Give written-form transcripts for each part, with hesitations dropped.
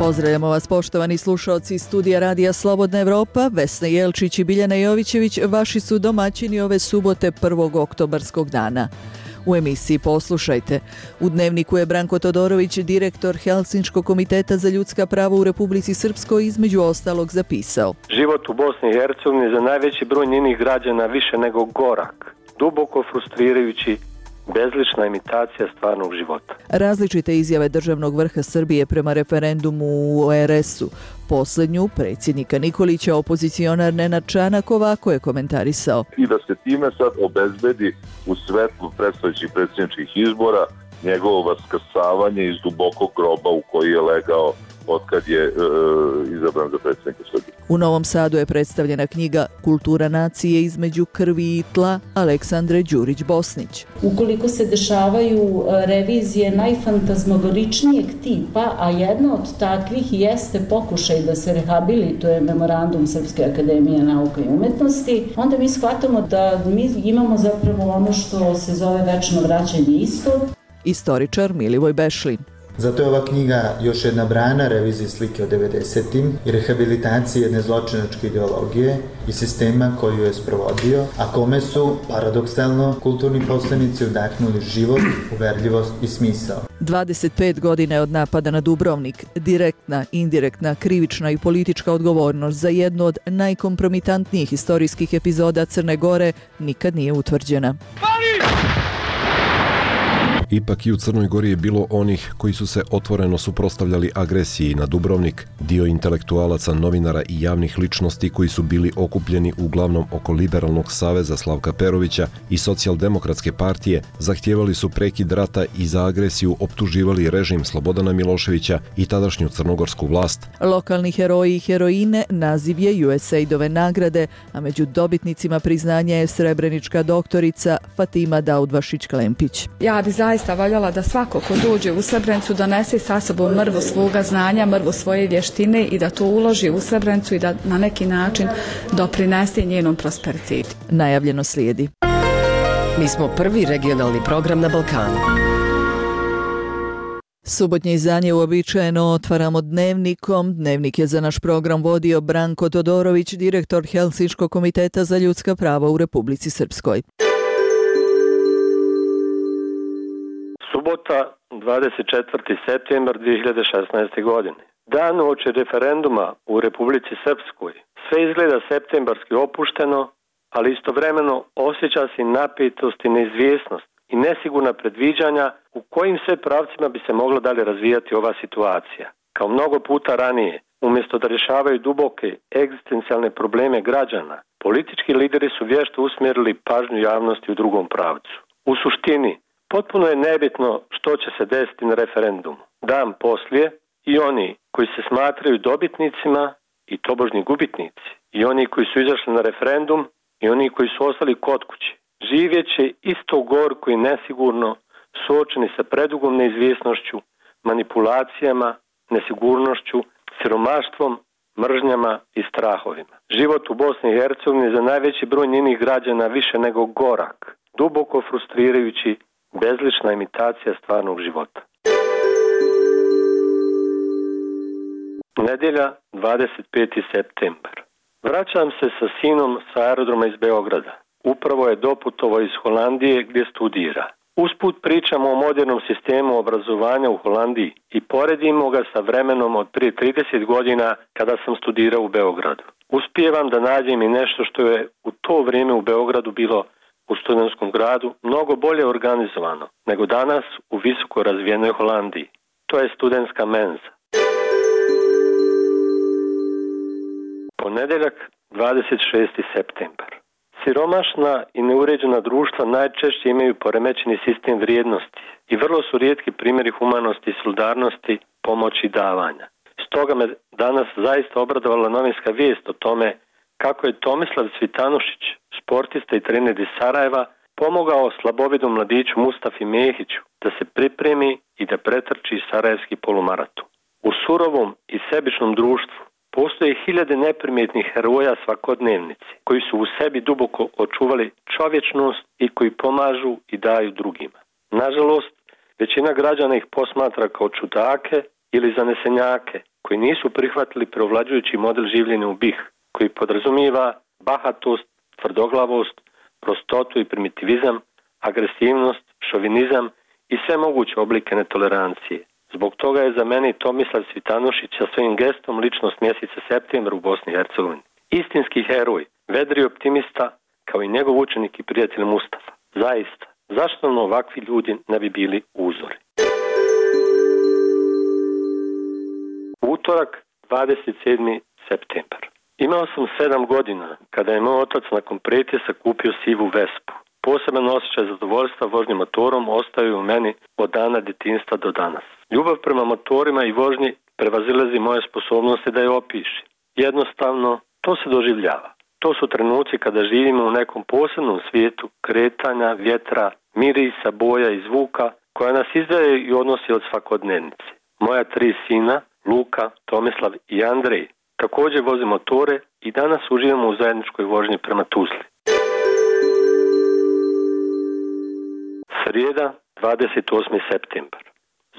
Pozdravljamo vas poštovani slušaoci studija Radija Slobodna Evropa. Vesna Jelčić i Biljana Jovićević vaši su domaćini ove subote 1. oktobarskog dana. U emisiji poslušajte. U Dnevniku je Branko Todorović, direktor Helsinškog komiteta za ljudska prava u Republici Srpskoj, između ostalog zapisao: Život u Bosni i Hercegovini za najveći broj njenih građana više nego gorak, duboko frustrirajući, bezlična imitacija stvarnog života. Različite izjave državnog vrha Srbije prema referendumu u RS-u. Posljednju, predsjednika Nikolića, opozicionar Nenad Čanak ovako je komentarisao: I da se time sad obezbedi u svetlu predstojećih predsjedničkih izbora njegovo vaskrsavanje iz dubokog groba u koji je legao otkad je izabran za predsjednika Srbije. U Novom Sadu je predstavljena knjiga Kultura nacije između krvi i tla Aleksandre Đurić-Bosnić. Ukoliko se dešavaju revizije najfantazmogoričnijeg tipa, a jedna od takvih jeste pokušaj da se rehabilituje memorandum Srpske akademije nauka i umetnosti, onda mi shvatamo da mi imamo zapravo ono što se zove večno vraćanje istog. Istoričar Milivoj Bešlin. Zato je ova knjiga još jedna brana reviziji slike o 90-im i rehabilitaciji jedne zločinačke ideologije i sistema koju je sprovodio, a kome su, paradoksalno, kulturni poslanici udahnuli život, uverljivost i smisao. 25 godina je od napada na Dubrovnik. Direktna, indirektna, krivična i politička odgovornost za jednu od najkompromitantnijih istorijskih epizoda Crne Gore nikad nije utvrđena. Ipak i u Crnoj Gori je bilo onih koji su se otvoreno suprotstavljali agresiji na Dubrovnik, dio intelektualaca, novinara i javnih ličnosti koji su bili okupljeni uglavnom oko Liberalnog saveza Slavka Perovića i Socijaldemokratske partije, zahtijevali su prekid rata i za agresiju optuživali režim Slobodana Miloševića i tadašnju crnogorsku vlast. Lokalni heroji i heroine naziv je USAID-ove nagrade, a među dobitnicima priznanja je srebrenička doktorica Fatima Daudvašić-Klempić. Ja bi zaista valjala da svako ko dođe u Srebrenicu donese sa sobom mrvu svoga znanja, mrvu svoje vještine i da to uloži u Srebrenicu i da na neki način doprinese njenom prosperitetu. Najavljeno slijedi. Mi smo prvi regionalni program na Balkanu. Subotnje izdanje uobičajeno otvaramo Dnevnikom. Dnevnik je za naš program vodio Branko Todorović, direktor Helsinškog komiteta za ljudska prava u Republici Srpskoj. Subota, 24. septembar 2016. godine. Dan uoči referenduma u Republici Srpskoj. Sve izgleda septembarski opušteno, ali istovremeno osjeća se napetost i neizvjesnost i nesigurna predviđanja u kojim sve pravcima bi se mogla dalje razvijati ova situacija. Kao mnogo puta ranije, umjesto da rješavaju duboke egzistencijalne probleme građana, politički lideri su vješto usmjerili pažnju javnosti u drugom pravcu. U suštini, potpuno je nebitno što će se desiti na referendumu. Dan poslije i oni koji se smatraju dobitnicima i tobožnji gubitnici, i oni koji su izašli na referendum i oni koji su ostali kod kuće, živjet će isto gorko i nesigurno, suočeni sa predugom neizvjesnošću, manipulacijama, nesigurnošću, siromaštvom, mržnjama i strahovima. Život u Bosni i Hercegovini za najveći broj njenih građana više nego gorak, duboko frustrirajući, bezlična imitacija stvarnog života. Nedjelja, 25. septembar. Vraćam se sa sinom sa aerodroma iz Beograda. Upravo je doputovao iz Holandije gdje studira. Usput pričamo o modernom sistemu obrazovanja u Holandiji i poredimo ga sa vremenom od prije 30 godina kada sam studirao u Beogradu. Uspijevam da nađem i nešto što je u to vrijeme u Beogradu bilo u studentskom gradu mnogo bolje organizovano nego danas u visoko razvijenoj Holandiji. To je studentska menza. Ponedjeljak, 26. septembar. Siromašna i neuređena društva najčešće imaju poremećeni sistem vrijednosti i vrlo su rijetki primjeri humanosti, solidarnosti, pomoći i davanja. Stoga me danas zaista obradovala novinska vijest o tome kako je Tomislav Cvitanušić, sportista i trener iz Sarajeva, pomogao slabovidom mladiću Mustafi Mehiću da se pripremi i da pretrči sarajevski polumaraton. U surovom i sebičnom društvu postoje hiljade neprimjetnih heroja svakodnevnice koji su u sebi duboko očuvali čovječnost i koji pomažu i daju drugima. Nažalost, većina građana ih posmatra kao čudake ili zanesenjake koji nisu prihvatili preovlađujući model življenja u BiH, koji podrazumijeva bahatost, tvrdoglavost, prostotu i primitivizam, agresivnost, šovinizam i sve moguće oblike netolerancije. Zbog toga je za mene Tomislav Cvitanušić sa svojim gestom ličnost mjeseca septembra u Bosni i Hercegovini. Istinski heroj, vedri optimista, kao i njegov učenik i prijatelj Mustafa. Zaista, zašto nam ovakvi ljudi ne bi bili uzori? Utorak, 27. septembar. Imao sam 7 godina kada je moj otac nakon pretjesa kupio sivu Vespu. Poseban osjećaj zadovoljstva vožnjom motorom ostaju u meni od dana djetinjstva do danas. Ljubav prema motorima i vožnji prevazilazi moje sposobnosti da je opiši. Jednostavno, to se doživljava. To su trenuci kada živimo u nekom posebnom svijetu kretanja, vjetra, mirisa, boja i zvuka koja nas izdvaja i odnosi od svakodnevnice. Moja 3 sina, Luka, Tomislav i Andrej, također voze motore i danas uživamo u zajedničkoj vožnji prema Tuzli. Srijeda, 28. septembar.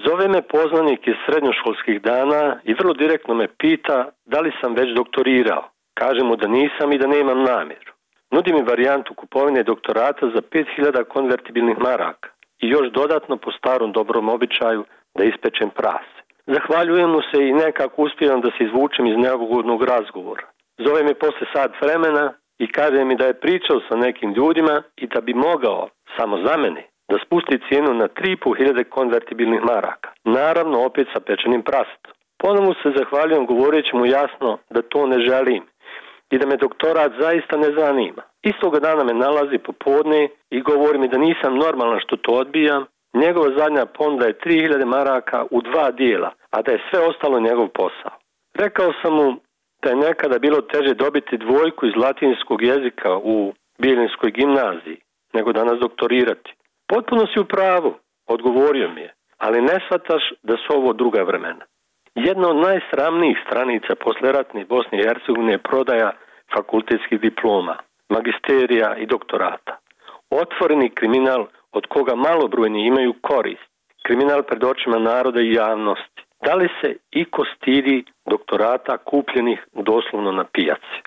Zove me poznanik iz srednjoškolskih dana i vrlo direktno me pita da li sam već doktorirao. Kažem mu da nisam i da nemam namjeru. Nudi mi varijantu kupovine doktorata za 5000 konvertibilnih maraka i još dodatno po starom dobrom običaju da ispečem prase. Zahvaljujem mu se i nekako uspijem da se izvučem iz neugodnog razgovora. Zove me posle sat vremena i kaže mi da je pričao sa nekim ljudima i da bi mogao, samo za mene, da spusti cijenu na 3500 konvertibilnih maraka. Naravno, opet sa pečenim prasetom. Ponovno se zahvaljujem govoreći mu jasno da to ne želim i da me doktorat zaista ne zanima. Istoga dana me nalazi popodne i govori mi da nisam normalan što to odbijam. Njegova zadnja ponuda je 3000 maraka u 2 dijela, a da je sve ostalo njegov posao. Rekao sam mu da je nekada bilo teže dobiti 2 iz latinskog jezika u Bijeljinskoj gimnaziji nego danas doktorirati. Potpuno si u pravu, odgovorio mi je, ali ne shvataš da su ovo druga vremena. Jedna od najsramnijih stranica posleratne Bosne i Hercegovine je prodaja fakultetskih diploma, magisterija i doktorata. Otvoreni kriminal od koga malobrojni imaju korist. Kriminal pred očima naroda i javnosti. Da li se iko stidi doktorata kupljenih doslovno na pijaci?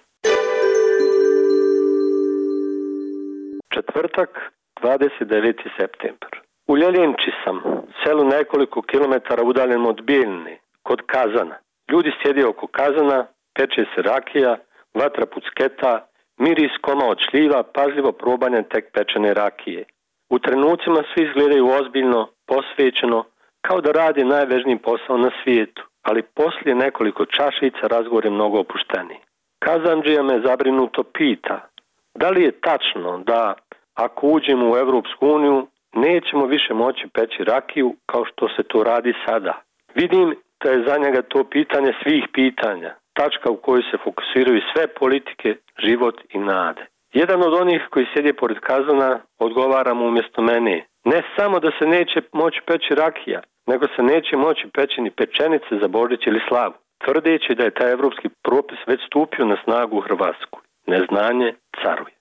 Četvrtak, 29. septembar. U Ljeljenči sam, selu nekoliko kilometara udaljen od Bijeljine, kod kazana. Ljudi sjede oko kazana, peče se rakija, vatra pucketa, miris koma od šljiva, pažljivo probanje tek pečene rakije. U trenucima svi izgledaju ozbiljno, posvećeno, kao da radi najvažniji posao na svijetu, ali poslije nekoliko čašica razgovor je mnogo opušteniji. Kazandžija me zabrinuto pita, da li je tačno da ako uđemo u Evropsku uniju nećemo više moći peći rakiju kao što se to radi sada. Vidim da je za njega to pitanje svih pitanja, tačka u kojoj se fokusiraju sve politike, život i nade. Jedan od onih koji sjedi pored kazana odgovara mu umjesto mene. Ne samo da se neće moći peći rakija, nego se neće moći peći ni pečenice za Božić ili slavu, tvrdeći da je taj evropski propis već stupio na snagu u Hrvatsku. Neznanje caruje.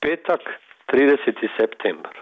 Petak, 30. septembar.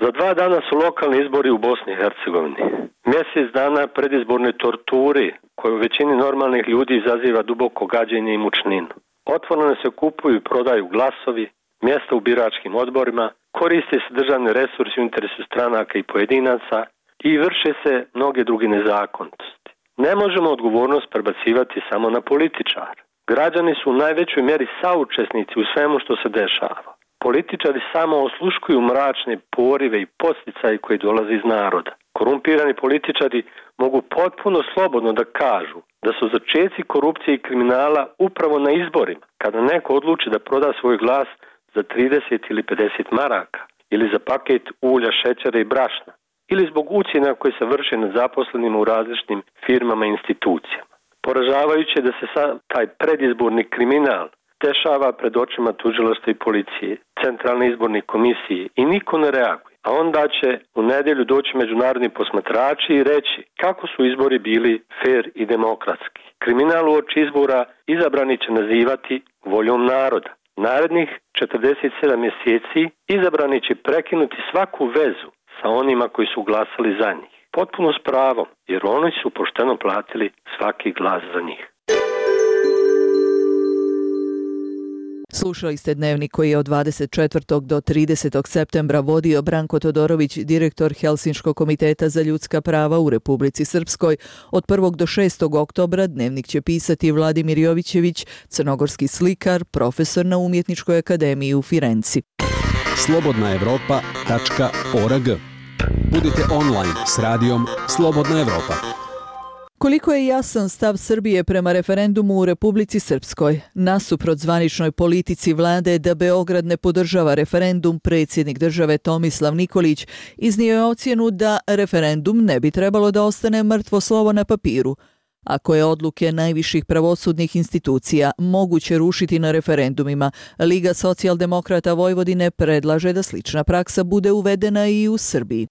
Za 2 dana su lokalni izbori u Bosni i Hercegovini. Mjesec dana predizborne torture koje u većini normalnih ljudi izaziva duboko gađenje i mučninu. Otvoreno se kupuju i prodaju glasovi, mjesta u biračkim odborima, koriste se državni resursi u interesu stranaka i pojedinaca i vrše se mnoge druge nezakonitosti. Ne možemo odgovornost prebacivati samo na političare. Građani su u najvećoj mjeri saučesnici u svemu što se dešava. Političari samo osluškuju mračne porive i podsticaje koji dolaze iz naroda. Korumpirani političari mogu potpuno slobodno da kažu da su začeci korupcije i kriminala upravo na izborima, kada neko odluči da proda svoj glas za 30 ili 50 maraka, ili za paket ulja, šećera i brašna, ili zbog ucjena koje se vrše nad zaposlenima u različitim firmama i institucijama. Poražavajuće da se taj predizborni kriminal dešava pred očima tužilaštva i policije, centralne izborne komisije i niko ne reaguje. A onda će u nedjelju doći međunarodni posmatrači i reći kako su izbori bili fer i demokratski. Kriminal uoči izbora izabrani će nazivati voljom naroda. Narednih 47 mjeseci izabrani će prekinuti svaku vezu sa onima koji su glasali za njih. potpuno s pravom, jer oni su pošteno platili svaki glas za njih. Slušali ste Dnevnik koji je od 24. do 30. septembra vodio Branko Todorović, direktor Helsinškog komiteta za ljudska prava u Republici Srpskoj. Od 1. do 6. oktobra Dnevnik će pisati Vladimir Jovićević, crnogorski slikar, profesor na Umjetničkoj akademiji u Firenci. slobodnaevropa.org. Budite online s radijom Slobodna Evropa. Koliko je jasan stav Srbije prema referendumu u Republici Srpskoj? Nasuprot zvaničnoj politici vlade da Beograd ne podržava referendum, predsjednik države Tomislav Nikolić iznio je ocjenu da referendum ne bi trebalo da ostane mrtvo slovo na papiru. Ako je odluke najviših pravosudnih institucija moguće rušiti na referendumima, Liga socijaldemokrata Vojvodine predlaže da slična praksa bude uvedena i u Srbiji.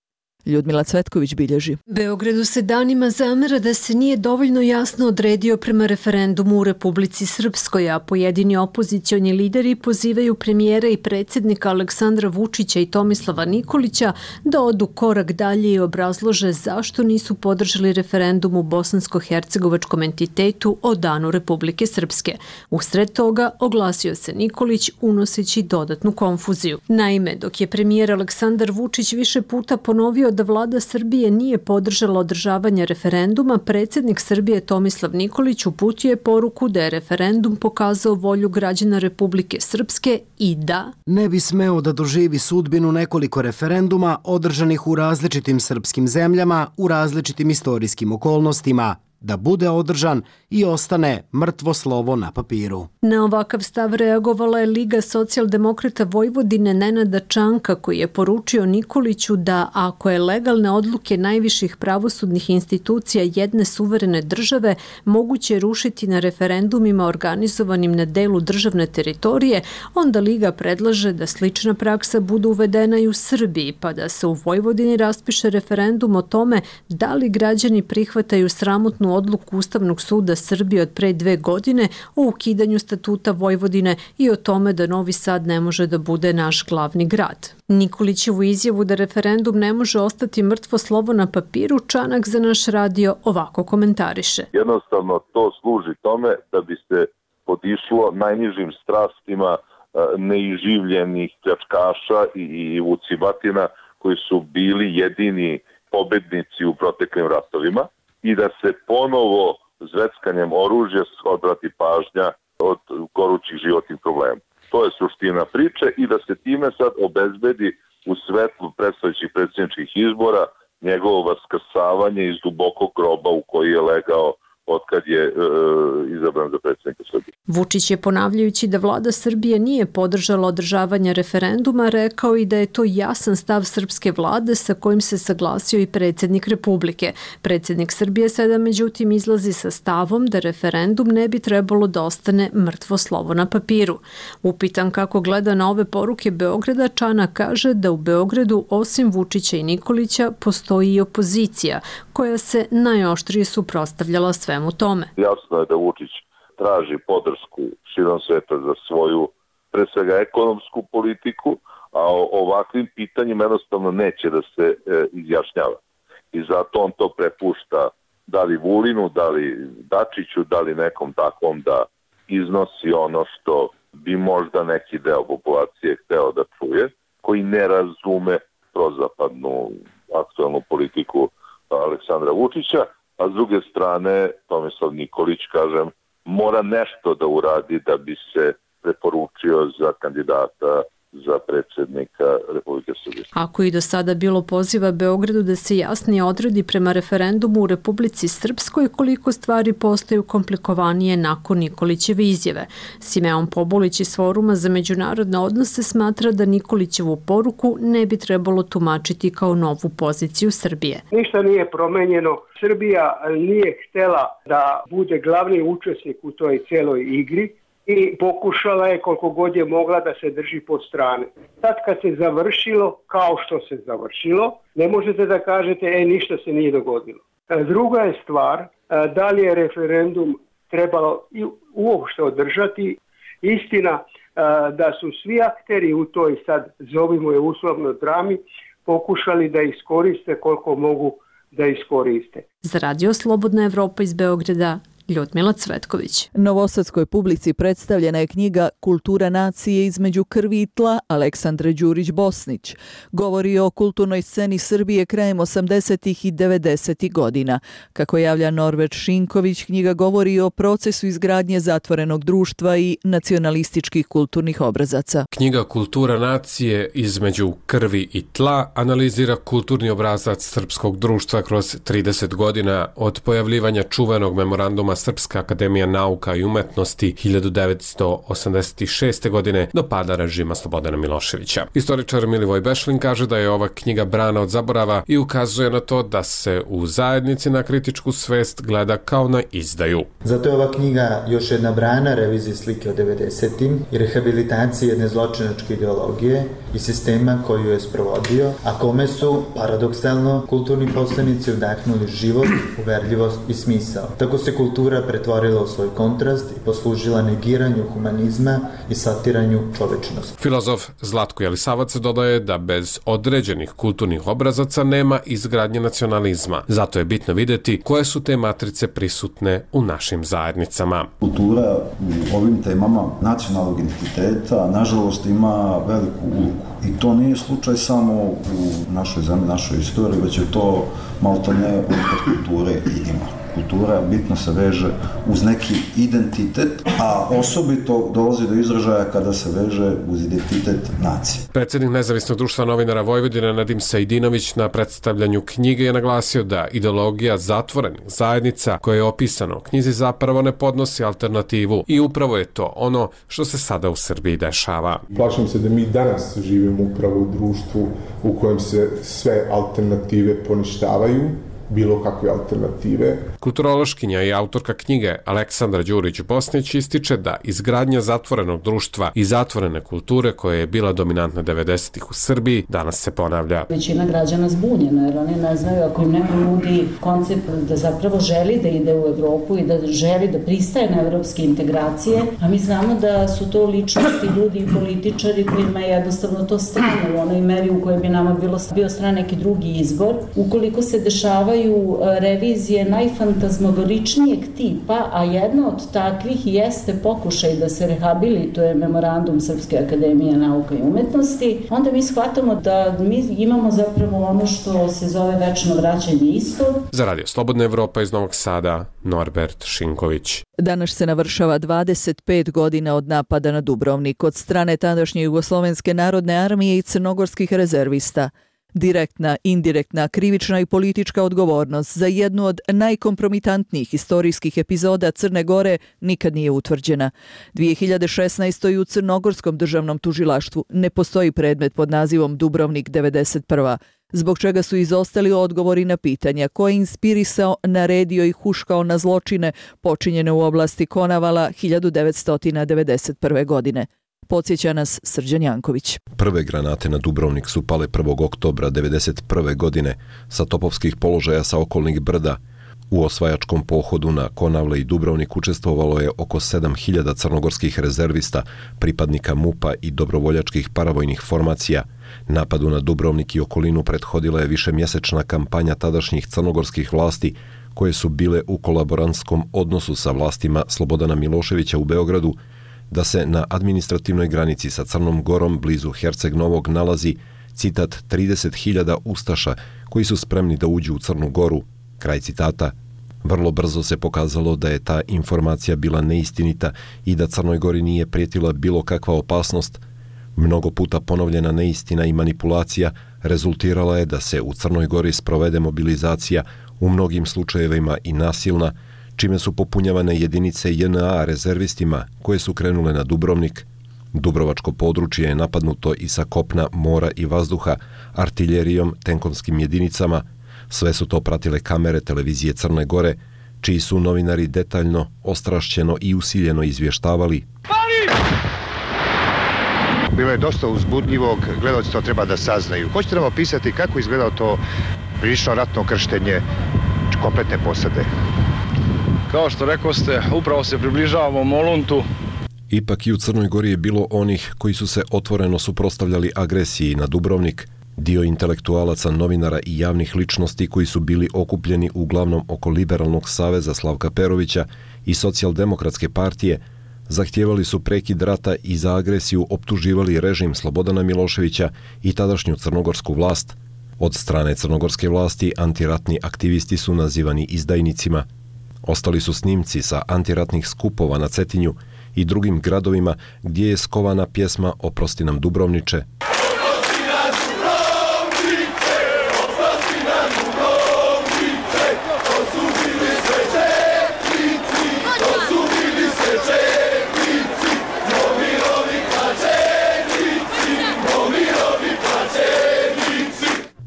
Ljudmila Cvetković bilježi. Beogradu se danima zamera da se nije dovoljno jasno odredio prema referendumu u Republici Srpskoj, a pojedini opozicioni lideri pozivaju premijera i predsjednika Aleksandra Vučića i Tomislava Nikolića da odu korak dalje i obrazlože zašto nisu podržali referendum u bosansko-hercegovačkom entitetu o danu Republike Srpske. Usred toga oglasio se Nikolić unoseći dodatnu konfuziju. Naime, dok je premijer Aleksandar Vučić više puta ponovio da vlada Srbije nije podržala održavanje referenduma, predsjednik Srbije Tomislav Nikolić uputio je poruku da je referendum pokazao volju građana Republike Srpske i da ne bi smeo da doživi sudbinu nekoliko referenduma održanih u različitim srpskim zemljama, u različitim istorijskim okolnostima, da bude održan i ostane mrtvo slovo na papiru. Na ovakav stav reagovala je Liga socijaldemokrata Vojvodine Nenada Čanka, koji je poručio Nikoliću da ako je legalne odluke najviših pravosudnih institucija jedne suverene države moguće rušiti na referendumima organizovanim na delu državne teritorije, onda Liga predlaže da slična praksa bude uvedena i u Srbiji, pa da se u Vojvodini raspiše referendum o tome da li građani prihvataju sramotnu odluku Ustavnog suda Srbije od pre 2 godine o ukidanju statuta Vojvodine i o tome da Novi Sad ne može da bude naš glavni grad. Nikolićevu izjavu da referendum ne može ostati mrtvo slovo na papiru Čanak za naš radio ovako komentariše. Jednostavno to služi tome da bi se podišlo najnižim strastima neiživljenih pljačkaša i vucibatina koji su bili jedini pobednici u proteklim ratovima i da se ponovo zveckanjem oružja odvrati pažnja od gorućih životnih problema. To je suština priče i da se time sad obezbedi u svetlu predstojećih predsjedničkih izbora njegovo vaskrsavanje iz dubokog groba u koji je legao otkad je izabran za predsjednika Srbije. Vučić je, ponavljajući da vlada Srbije nije podržala održavanje referenduma, rekao i da je to jasan stav srpske vlade sa kojim se saglasio i predsjednik Republike. Predsjednik Srbije sada međutim izlazi sa stavom da referendum ne bi trebalo da ostane mrtvo slovo na papiru. Upitan kako gleda na ove poruke Beograda, Čanak kaže da u Beogradu osim Vučića i Nikolića postoji i opozicija koja se najoštrije suprotstavljala svemu tome. Jasno je da Vučić traži podršku širom sveta za svoju, pre svega, ekonomsku politiku, a o ovakvim pitanjima jednostavno neće da se izjašnjava. I zato on to prepušta da li Vulinu, da li Dačiću, da li nekom takvom da iznosi ono što bi možda neki deo populacije hteo da čuje, koji ne razume prozapadnu aktualnu politiku Aleksandra Vučića, a s druge strane Tomislav Nikolić, kažem, mora nešto da uradi da bi se preporučio za kandidata za predsjednika Republike Srbije. Ako i do sada bilo poziva Beogradu da se jasnije odredi prema referendumu u Republici Srpskoj, koliko stvari postaju komplikovanije nakon Nikolićeve izjave. Simeon Pobulić iz Foruma za međunarodne odnose smatra da Nikolićevu poruku ne bi trebalo tumačiti kao novu poziciju Srbije. Ništa nije promenjeno. Srbija nije htela da bude glavni učesnik u toj cijeloj igri i pokušala je koliko god je mogla da se drži pod strane. Sad kad se završilo, kao što se završilo, ne možete da kažete ništa se nije dogodilo. Druga je stvar, da li je referendum trebalo uopšte održati. Istina da su svi akteri u toj, sad zovimo je uslovno, drami, pokušali da iskoriste koliko mogu da iskoriste. Za Radio Slobodna Evropa iz Beograda, Ljudmila Cvetković. Novosadskoj publici predstavljena je knjiga Kultura nacije između krvi i tla Aleksandre Đurić-Bosnić. Govori o kulturnoj sceni Srbije krajem 80. i 90. godina. Kako javlja Norbert Šinković, knjiga govori o procesu izgradnje zatvorenog društva i nacionalističkih kulturnih obrazaca. Knjiga Kultura nacije između krvi i tla analizira kulturni obrazac srpskog društva kroz 30 godina od pojavljivanja čuvenog memoranduma Srpska akademija nauka i umetnosti 1986. godine do pada režima Slobodana Miloševića. Istoričar Milivoj Bešlin kaže da je ova knjiga brana od zaborava i ukazuje na to da se u zajednici na kritičku svest gleda kao na izdaju. Zato je ova knjiga još jedna brana reviziji slike o 90-im i rehabilitacije jedne zločinačke ideologije i sistema koju je sprovodio, a kome su, paradoksalno, kulturni poslanici udahnuli život, uverljivost i smisao. Tako se kultura pretvorila u svoj kontrast i poslužila negiranju humanizma i satiranju čovečnosti. Filozof Zlatko Jelisavac dodaje da bez određenih kulturnih obrazaca nema izgradnje nacionalizma. Zato je bitno vidjeti koje su te matrice prisutne u našim zajednicama. Kultura u ovim temama nacionalnog identiteta nažalost ima veliku ulogu. I to nije slučaj samo u našoj zemlji, našoj istoriji, već je to maltene unutar kulture i ima. Kultura bitno se veže uz neki identitet, a osobito dolazi do izražaja kada se veže uz identitet nacije. Predsjednik Nezavisnog društva novinara Vojvodine Nadim Sajdinović na predstavljanju knjige je naglasio da ideologija zatvorenih zajednica koje je opisano u knjizi zapravo ne podnosi alternativu i upravo je to ono što se sada u Srbiji dešava. Plašim se da mi danas živimo upravo u društvu u kojem se sve alternative poništavaju, bilo kakve alternative. Kulturološkinja i autorka knjige Aleksandra Đurić-Bosnić ističe da izgradnja zatvorenog društva i zatvorene kulture koja je bila dominantna 90-ih u Srbiji danas se ponavlja. Većina građana zbunjena jer oni ne znaju ako im neko nudi koncept da zapravo želi da ide u Evropu i da želi da pristaje na evropske integracije, a mi znamo da su to ličnosti, ljudi i političari kojima je jednostavno to strano u onoj meri u kojoj bi nama bio stran neki drugi izbor. Ukoliko se dešavaju revizije najfantazmogoričnijeg tipa, a jedna od takvih jeste pokušaj da se rehabilituje memorandum Srpske akademije nauka i umetnosti, onda mi shvatamo da mi imamo zapravo ono što se zove večno vraćanje istog. Za Radio Slobodna Evropa iz Novog Sada, Norbert Šinković. Danas se navršava 25 godina od napada na Dubrovnik od strane tadašnje Jugoslovenske narodne armije i crnogorskih rezervista. Direktna, indirektna, krivična i politička odgovornost za jednu od najkompromitantnijih istorijskih epizoda Crne Gore nikad nije utvrđena. 2016. u Crnogorskom državnom tužilaštvu ne postoji predmet pod nazivom Dubrovnik 91. zbog čega su izostali odgovori na pitanja ko je inspirisao, naredio i huškao na zločine počinjene u oblasti Konavala 1991. godine. Podsjeća nas Srđan Janković. Prve granate na Dubrovnik su pale 1. oktobra 1991. godine sa topovskih položaja sa okolnih brda. U osvajačkom pohodu na Konavle i Dubrovnik učestvovalo je oko 7000 crnogorskih rezervista, pripadnika MUP-a i dobrovoljačkih paravojnih formacija. Napadu na Dubrovnik i okolinu prethodila je višemjesečna kampanja tadašnjih crnogorskih vlasti koje su bile u kolaborantskom odnosu sa vlastima Slobodana Miloševića u Beogradu, da se na administrativnoj granici sa Crnom Gorom blizu Herceg Novog nalazi, citat, 30.000 ustaša koji su spremni da uđu u Crnu Goru, kraj citata. Vrlo brzo se pokazalo da je ta informacija bila neistinita i da Crnoj Gori nije prijetila bilo kakva opasnost. Mnogo puta ponovljena neistina i manipulacija rezultirala je da se u Crnoj Gori sprovede mobilizacija, u mnogim slučajevima i nasilna, čime su popunjavane jedinice JNA rezervistima koje su krenule na Dubrovnik. Dubrovačko područje je napadnuto i sa kopna, mora i vazduha, artiljerijom, tenkovskim jedinicama. Sve su to pratile kamere televizije Crne Gore, čiji su novinari detaljno, ostrašćeno i usiljeno izvještavali. Bilo je dosta uzbudljivog, gledalci to treba da saznaju. Hoćete nam opisati kako izgledao to prilično ratno krštenje kompletne posade? Kao što rekoste, upravo se približavamo Moluntu. Ipak i u Crnoj Gori je bilo onih koji su se otvoreno suprotstavljali agresiji na Dubrovnik. Dio intelektualaca, novinara i javnih ličnosti koji su bili okupljeni uglavnom oko Liberalnog saveza Slavka Perovića i Socijaldemokratske partije zahtijevali su prekid rata i za agresiju optuživali režim Slobodana Miloševića i tadašnju crnogorsku vlast. Od strane crnogorske vlasti antiratni aktivisti su nazivani izdajnicima. Ostali su snimci sa antiratnih skupova na Cetinju i drugim gradovima gdje je skovana pjesma Oprosti nam Dubrovniče.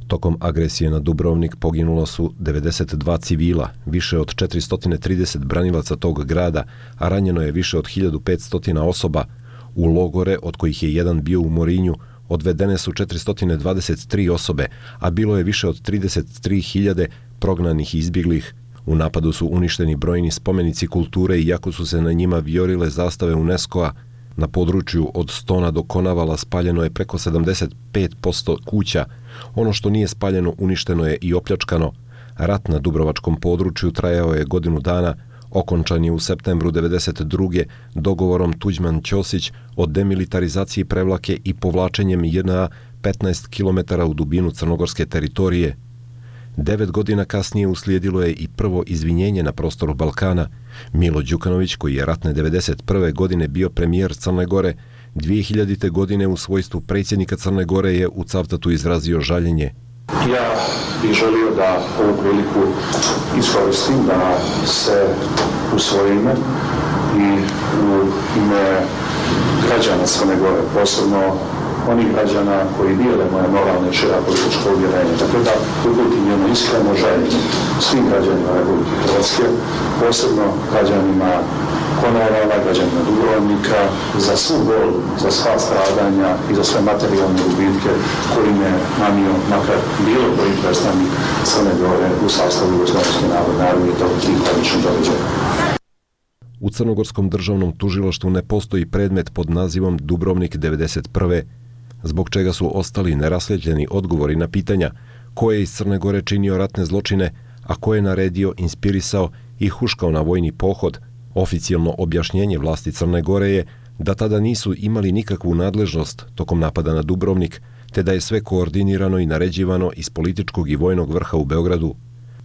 Tokom agresije na Dubrovnik poginulo su 92 civila, više od 430 branilaca tog grada, a ranjeno je više od 1500 osoba. U logore, od kojih je jedan bio u Morinju, odvedene su 423 osobe, a bilo je više od 33.000 prognanih i izbjeglih. U napadu su uništeni brojni spomenici kulture iako su se na njima vijorile zastave UNESCO-a. Na području od Stona do Konavala spaljeno je preko 75% kuća. Ono što nije spaljeno uništeno je i opljačkano. Rat na dubrovačkom području trajao je godinu dana, okončan je u septembru 1992. dogovorom Tuđman-Ćosić o demilitarizaciji Prevlake i povlačenjem JNA 15 km u dubinu crnogorske teritorije. 9 godina kasnije uslijedilo je i prvo izvinjenje na prostoru Balkana. Milo Đukanović, koji je ratne 1991. godine bio premijer Crne Gore, 2000. godine u svojstvu predsjednika Crne Gore je u Cavtatu izrazio žaljenje. Ja bih želio da ovu priliku iskoristim da se u svoje ime i u ime građana Crne Gore, posebno onih građana koji dijele moje moralne i šira političko uvjerenje. Dakle, da uputim jedno iskreno želje svim građanima Republike Hrvatske, posebno građanima Konavala, građanima Dubrovnika, za svu bol, za sva stradanja i za sve materijalne gubitke koji me nanio makar bilo koji predstavnik Crne Gore u sastavu Jugoslavijske narodne armije tih tragičnih događaja. U Crnogorskom državnom tužilaštvu ne postoji predmet pod nazivom Dubrovnik 1991. zbog čega su ostali nerasljepljeni odgovori na pitanja ko je iz Crne Gore činio ratne zločine, a ko je naredio, inspirisao i huškao na vojni pohod. Oficijalno objašnjenje vlasti Crne Gore je da tada nisu imali nikakvu nadležnost tokom napada na Dubrovnik, te da je sve koordinirano i naređivano iz političkog i vojnog vrha u Beogradu.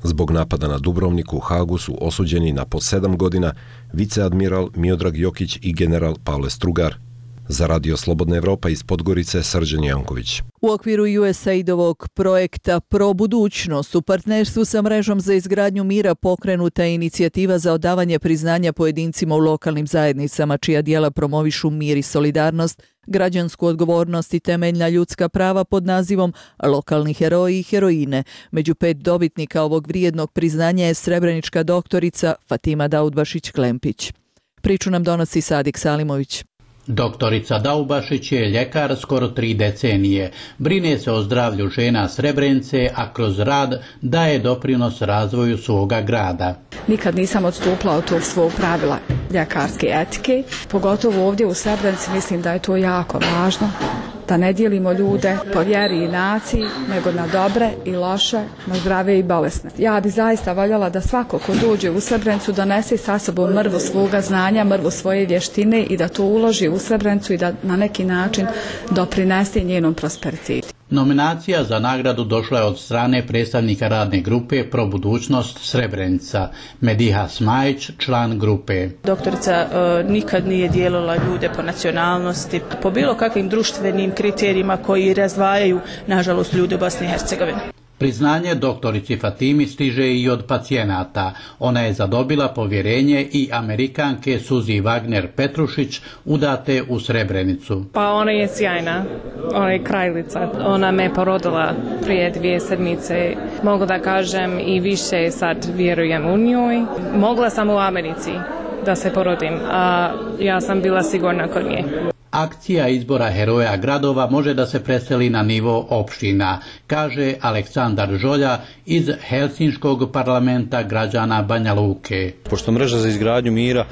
Zbog napada na Dubrovnik u Hagu su osuđeni na po 7 godina viceadmiral Miodrag Jokić i general Pavle Strugar. Za Radio Slobodna Evropa iz Podgorice, Srđan Janković. U okviru USAID-ovog projekta Pro budućnost u partnerstvu sa mrežom za izgradnju mira pokrenuta je inicijativa za odavanje priznanja pojedincima u lokalnim zajednicama čija djela promovišu mir i solidarnost, građansku odgovornost i temeljna ljudska prava pod nazivom Lokalni heroji i heroine. Među 5 dobitnika ovog vrijednog priznanja je srebrenička doktorica Fatima Daudbašić-Klempić. Priču nam donosi Sadik Salimović. Doktorica Daubašić je ljekar skoro 3 decenije. Brine se o zdravlju žena Srebrenice, a kroz rad daje doprinos razvoju svoga grada. Nikad nisam odstupila od tog svog pravila ljekarske etike, pogotovo ovdje u Srebrenici mislim da je to jako važno. Da ne dijelimo ljude po vjeri i naciji, nego na dobre i loše, na zdrave i bolesne. Ja bi zaista voljela da svako ko dođe u Srebrenicu donese sa sobom mrvu svoga znanja, mrvu svoje vještine i da to uloži u Srebrenicu i da na neki način doprinese njenom prosperitetu. Nominacija za nagradu došla je od strane predstavnika radne grupe Pro budućnost Srebrenica, Mediha Smajić, član grupe. Doktorica nikad nije dijelila ljude po nacionalnosti, po bilo kakvim društvenim kriterijima koji razdvajaju, nažalost, ljude u Bosni i Hercegovini. Priznanje doktorici Fatimi stiže i od pacijenata. Ona je zadobila povjerenje i Amerikanke Suzi Wagner Petrušić, udate u Srebrenicu. Pa ona je sjajna, ona je kraljica. Ona me porodila prije 2 sedmice. Mogu da kažem i više sad vjerujem u njoj. Mogla sam u Americi da se porodim, a ja sam bila sigurna kod nje. Akcija izbora heroja gradova može da se preseli na nivo opština, kaže Aleksandar Žolja iz Helsinškog parlamenta građana Banja Luke. Pošto mreža za izgradnju mira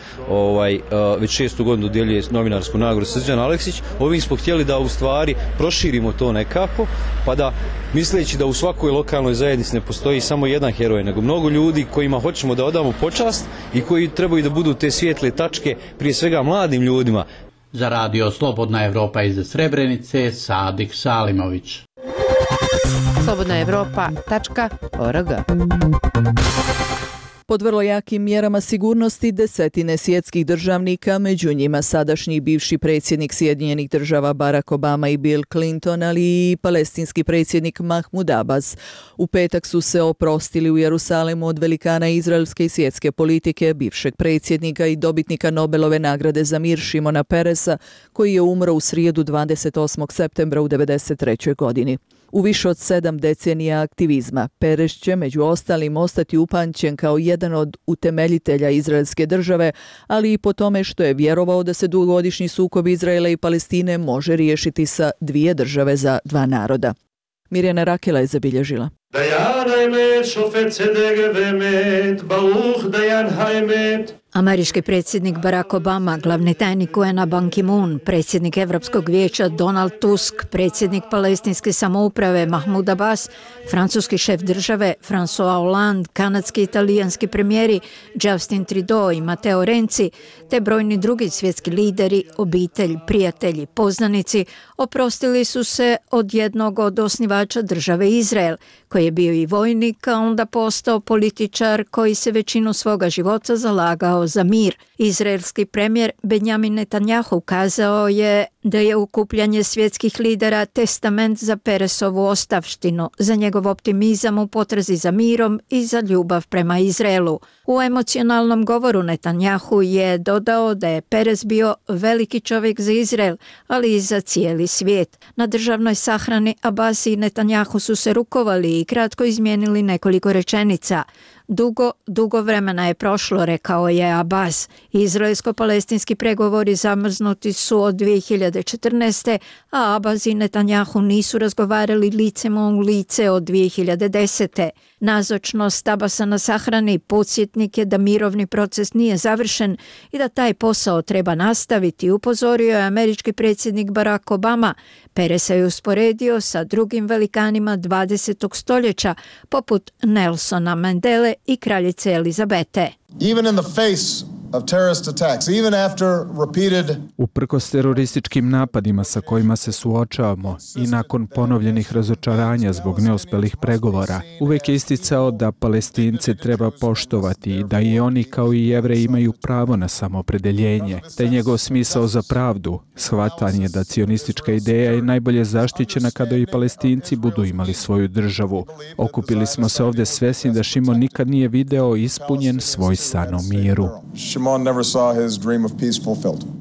već 6. godinu dodjeljuje novinarsku nagradu Srđan Aleksić, ovim smo htjeli da u stvari proširimo to nekako, pa da misleći da u svakoj lokalnoj zajednici ne postoji samo jedan heroj, nego mnogo ljudi kojima hoćemo da odamo počast i koji trebaju da budu te svijetle tačke, prije svega mladim ljudima. Za radio Slobodna Evropa iz Srebrenice, Sadik Salimović. slobodnaevropa.org. Pod vrlo jakim mjerama sigurnosti desetine svjetskih državnika, među njima sadašnji bivši predsjednik Sjedinjenih država Barack Obama i Bill Clinton, ali i palestinski predsjednik Mahmud Abbas, u petak su se oprostili u Jerusalemu od velikana izraelske i svjetske politike, bivšeg predsjednika i dobitnika Nobelove nagrade za mir Šimona Peresa, koji je umro u srijedu 28. septembra u 93. godini. U više od 7 decenija aktivizma, Peres će među ostalim ostati upamćen kao jedan od utemeljitelja izraelske države, ali i po tome što je vjerovao da se dugogodišnji sukob Izraela i Palestine može riješiti sa 2 države za 2 naroda. Mirjana Rakela je zabilježila. Američki predsjednik Barack Obama, glavni tajnik UN-a Ban Ki-moon, predsjednik Evropskog vijeća Donald Tusk, predsjednik palestinske samouprave Mahmud Abbas, francuski šef države François Hollande, kanadski i italijanski premijeri Justin Trudeau i Matteo Renzi, te brojni drugi svjetski lideri, obitelj, prijatelji, poznanici, oprostili su se od jednog od osnivača države Izrael, koji je bio i vojnik, a onda postao političar koji se većinu svoga života zalagao za mir. Izraelski premijer Benjamin Netanjahu kazao je da je okupljanje svjetskih lidera testament za Peresovu ostavštinu, za njegov optimizam u potrazi za mirom i za ljubav prema Izraelu. U emocionalnom govoru Netanjahu je dodao da je Peres bio veliki čovjek za Izrael, ali i za cijeli svijet. Na državnoj sahrani Abbas i Netanjahu su se rukovali i kratko izmijenili nekoliko rečenica. Dugo vremena je prošlo, rekao je Abbas. Izraelsko-palestinski pregovori zamrznuti su od 2014. a Abbas i Netanjahu nisu razgovarali licem u lice od 2010. Nazočnost Abbasa na sahrani podsjetnik je da mirovni proces nije završen i da taj posao treba nastaviti, upozorio je američki predsjednik Barack Obama. Peresa je usporedio sa drugim velikanima 20. stoljeća, poput Nelsona Mandele i kraljice Elizabete. Even in the face of terrorist attacks, even after repeated... Uprkos terorističkim napadima sa kojima se suočavamo i nakon ponovljenih razočaranja zbog neuspelih pregovora, uvek je isticao da Palestince treba poštovati i da i oni kao i Jevreji imaju pravo na samoopredeljenje, te njegov smisao za pravdu, shvatanje da cionistička ideja je najbolje zaštićena kada i Palestinci budu imali svoju državu. Okupili smo se ovdje svesni da Šimon nikad nije video ispunjen svoj san o miru.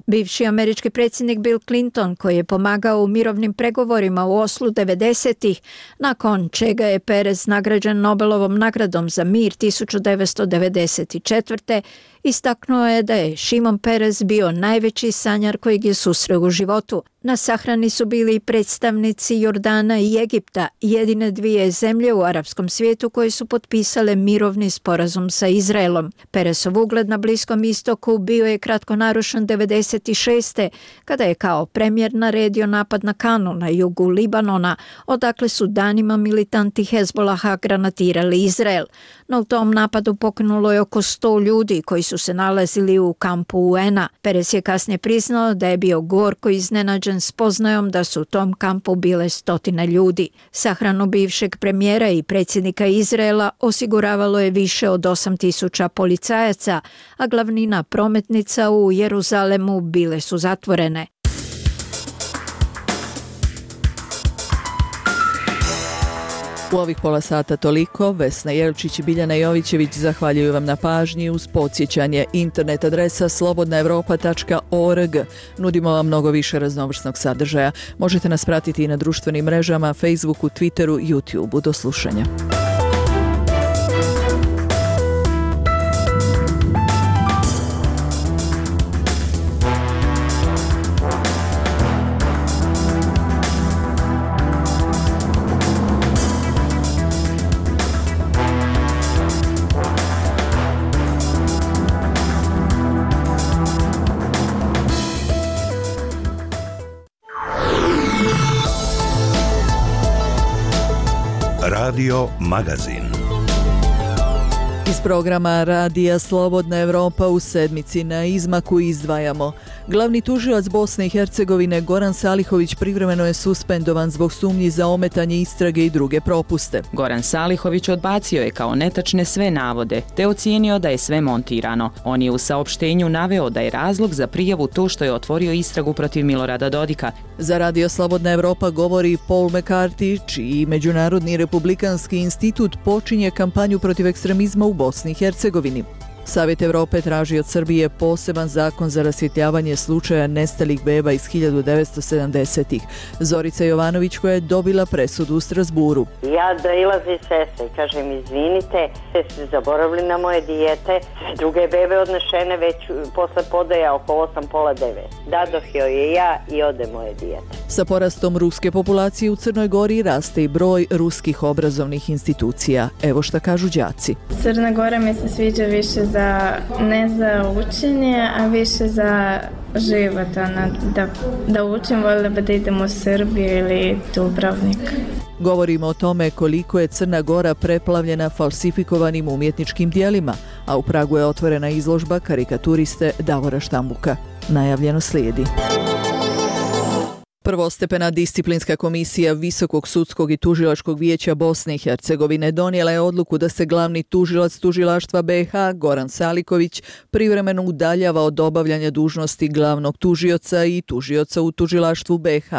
Bivši američki predsjednik Bill Clinton, koji je pomagao u mirovnim pregovorima u Oslu 90-ih, nakon čega je Peres nagrađen Nobelovom nagradom za mir 1994. istaknuo je da je Šimon Peres bio najveći sanjar kojeg je susreo u životu. Na sahrani su bili predstavnici Jordana i Egipta, jedine 2 zemlje u arapskom svijetu koje su potpisale mirovni sporazum sa Izraelom. Peresov ugled na Bliskom istoku bio je kratko narušen 96. kada je kao premijer naredio napad na Kanu na jugu Libanona, odakle su danima militanti Hezbolaha granatirali Izrael. No u tom napadu poginulo je oko 100 ljudi koji su se nalazili u kampu UN-a. Peres je kasnije priznao da je bio gorko iznenađen spoznajom da su u tom kampu bile 100 ljudi. Sahranu bivšeg premijera i predsjednika Izraela osiguravalo je više od 8.000 policajaca, a glavnina prometnica u Jeruzalemu bile su zatvorene. U ovih pola sata toliko. Vesna Jelčić i Biljana Jovićević zahvaljuju vam na pažnji. Uz podsjećanje, internet adresa slobodnaevropa.org. Nudimo vam mnogo više raznovrsnog sadržaja. Možete nas pratiti i na društvenim mrežama, Facebooku, Twitteru, YouTubeu. Do slušanja. Radio Magazin. Iz programa Radija Slobodna Evropa u sedmici na izmaku izdvajamo. Glavni tužilac Bosne i Hercegovine Goran Salihović privremeno je suspendovan zbog sumnji za ometanje istrage i druge propuste. Goran Salihović odbacio je kao netačne sve navode, te ocijenio da je sve montirano. On je u saopštenju naveo da je razlog za prijavu to što je otvorio istragu protiv Milorada Dodika. Za Radio Slobodna Evropa govori Paul McCarthy, čiji Međunarodni republikanski institut počinje kampanju protiv ekstremizma u Bosni i Hercegovini. Savjet Evrope traži od Srbije poseban zakon za rasvjetljavanje slučaja nestalih beba iz 1970-ih. Zorica Jovanović koja je dobila presudu u Strasburu. Ja doilazi sestra i kažem izvinite, ste zaboravili na moje dijete, sve druge bebe odnešene već posle podaja oko 8:30. Dadoh joj je ja i ode moje dijete. Sa porastom ruske populacije u Crnoj Gori raste i broj ruskih obrazovnih institucija. Evo šta kažu đaci. Crna Gora mi se sviđa više ne za učenje, a više za život. Da učim, voljela bi da idem u Srbiju ili Dubrovnik. Govorimo o tome koliko je Crna Gora preplavljena falsifikovanim umjetničkim dijelima, a u Pragu je otvorena izložba karikaturiste Davora Štambuka. Najavljeno slijedi. Prvostepena disciplinska komisija Visokog sudskog i tužilačkog vijeća Bosne i Hercegovine donijela je odluku da se glavni tužilac tužilaštva BiH Goran Saliković privremeno udaljava od obavljanja dužnosti glavnog tužioca i tužioca u tužilaštvu BiH.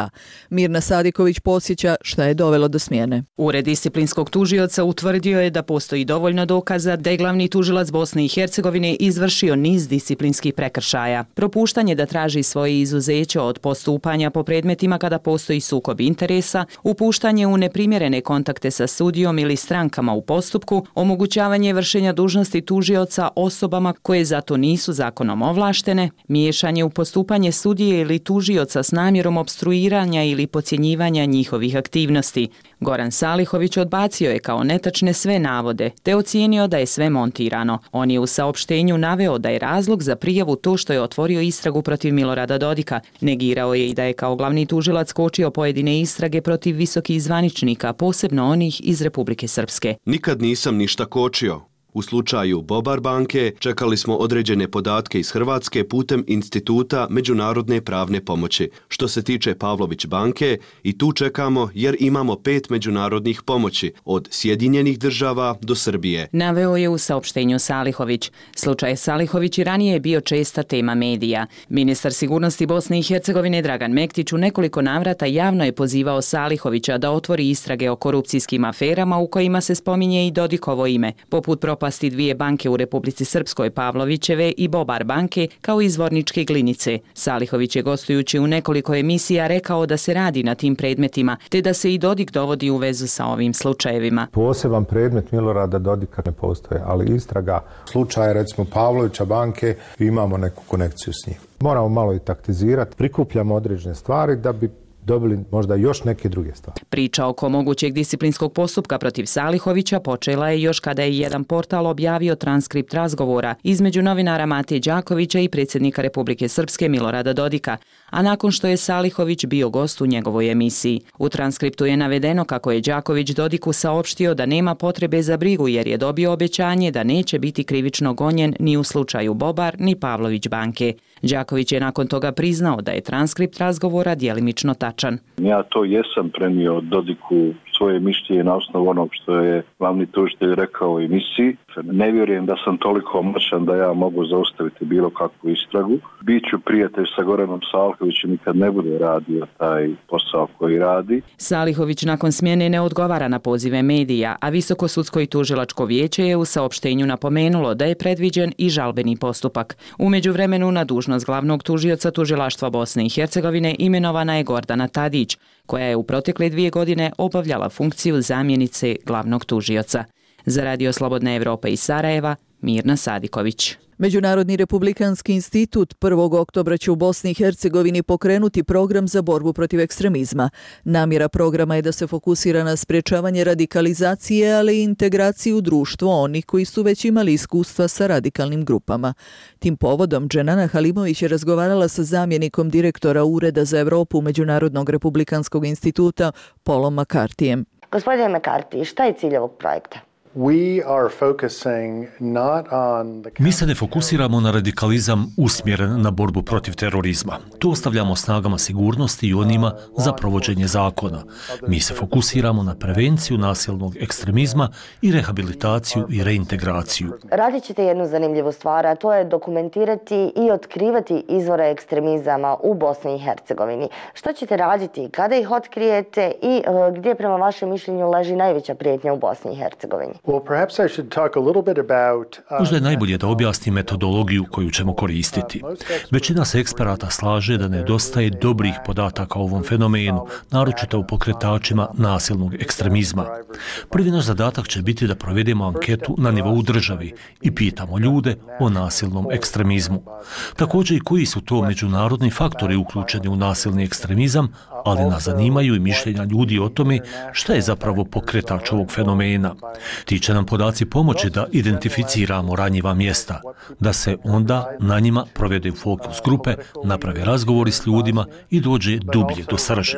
Mirna Sadiković podsjeća šta je dovelo do smjene. Ured disciplinskog tužioca utvrdio je da postoji dovoljno dokaza da je glavni tužilac Bosne i Hercegovine izvršio niz disciplinskih prekršaja. Propuštanje da traži svoje izuzeće od postupanja po predmetima kada postoji sukob interesa, upuštanje u neprimjerene kontakte sa sudijom ili strankama u postupku, omogućavanje vršenja dužnosti tužioca osobama koje zato nisu zakonom ovlaštene, miješanje u postupanje sudije ili tužioca s namjerom opstruiranja ili podcjenjivanja njihovih aktivnosti. Goran Salihović odbacio je kao netačne sve navode, te ocijenio da je sve montirano. On je u saopštenju naveo da je razlog za prijavu to što je otvorio istragu protiv Milorada Dodika. Negirao je i da je kao glavni tužilac kočio pojedine istrage protiv visokih zvaničnika, posebno onih iz Republike Srpske. Nikad nisam ništa kočio. U slučaju Bobar banke čekali smo određene podatke iz Hrvatske putem Instituta međunarodne pravne pomoći. Što se tiče Pavlović banke, i tu čekamo jer imamo 5 međunarodnih pomoći, od Sjedinjenih država do Srbije. Naveo je u saopštenju Salihović. Slučaj Salihović i ranije je bio česta tema medija. Ministar sigurnosti Bosne i Hercegovine Dragan Mektić u nekoliko navrata javno je pozivao Salihovića da otvori istrage o korupcijskim aferama u kojima se spominje i Dodikovo ime, poput propasti 2 banke u Republici Srpskoj, Pavlovićeve i Bobar banke, kao i Zvorničke Glinice. Salihović je gostujući u nekoliko emisija rekao da se radi na tim predmetima, te da se i Dodik dovodi u vezu sa ovim slučajevima. Poseban predmet Milorada Dodika ne postoje, ali istraga slučaja recimo Pavlovića banke, imamo neku konekciju s njim. Moramo malo i taktizirati, prikupljamo određene stvari da bi dobili možda još neke druge stvari. Priča oko mogućeg disciplinskog postupka protiv Salihovića počela je još kada je jedan portal objavio transkript razgovora između novinara Matije Đakovića i predsjednika Republike Srpske Milorada Dodika, a nakon što je Salihović bio gost u njegovoj emisiji. U transkriptu je navedeno kako je Đaković Dodiku saopštio da nema potrebe za brigu jer je dobio obećanje da neće biti krivično gonjen ni u slučaju Bobar ni Pavlović banke. Đaković je nakon toga priznao da je transkript razgovora djelimično tačan. Ja to jesam prenio Dodiku svoje mišljenje na osnovu onog što je glavni tužitelj rekao u emisiji. Ne vjerujem da sam toliko moćan da ja mogu zaustaviti bilo kakvu istragu. Biću prijatelj sa Goranom Salihovićem i kad ne bude radio taj posao koji radi. Salihović nakon smjene ne odgovara na pozive medija, a Visoko sudsko i tužilačko vijeće je u saopštenju napomenulo da je predviđen i žalbeni postupak. U međuvremenu na dužnost glavnog tužioca tužilaštva Bosne i Hercegovine imenovana je Gordana Tadić, koja je u protekle 2 godine obavljala funkciju zamjenice glavnog tužioca. Za Radio Slobodna Evropa iz Sarajeva, Mirna Sadiković. Međunarodni republikanski institut 1. oktobra će u Bosni i Hercegovini pokrenuti program za borbu protiv ekstremizma. Namjera programa je da se fokusira na sprečavanje radikalizacije, ali i integraciju u društvo onih koji su već imali iskustva sa radikalnim grupama. Tim povodom Dženana Halimović je razgovarala sa zamjenikom direktora Ureda za Evropu Međunarodnog republikanskog instituta Paulom McCarthyjem. Gospodine McCarthy, šta je cilj ovog projekta? Mi se ne fokusiramo na radikalizam usmjeren na borbu protiv terorizma. To ostavljamo snagama sigurnosti i onima za provođenje zakona. Mi se fokusiramo na prevenciju nasilnog ekstremizma i rehabilitaciju i reintegraciju. Radit ćete jednu zanimljivu stvar, a to je dokumentirati i otkrivati izvore ekstremizama u Bosni i Hercegovini. Što ćete raditi kada ih otkrijete i gdje prema vašem mišljenju leži najveća prijetnja u Bosni i Hercegovini? Možda je najbolje da objasnim metodologiju koju ćemo koristiti. Većina se eksperata slaže da nedostaje dobrih podataka o ovom fenomenu, naročito u pokretačima nasilnog ekstremizma. Prvi naš zadatak će biti da provedemo anketu na nivou države i pitamo ljude o nasilnom ekstremizmu. Također i koji su to međunarodni faktori uključeni u nasilni ekstremizam, ali nas zanimaju i mišljenja ljudi o tome šta je zapravo pokretač ovog fenomena. Ti će nam podaci pomoći da identificiramo ranjiva mjesta, da se onda na njima provede fokus grupe, naprave razgovori s ljudima i dođe dublje do srži.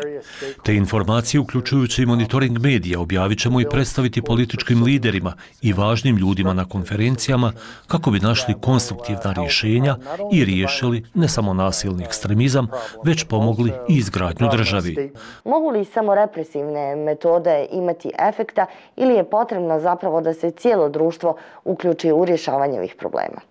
Te informacije, uključujući i monitoring medija, objavit ćemo i predstaviti političkim liderima i važnim ljudima na konferencijama kako bi našli konstruktivna rješenja i riješili ne samo nasilni ekstremizam, već pomogli i izgradnju države. Mogu li samo represivne metode imati efekta ili je potrebno zapravo da se cijelo društvo uključi u rješavanje ovih problema?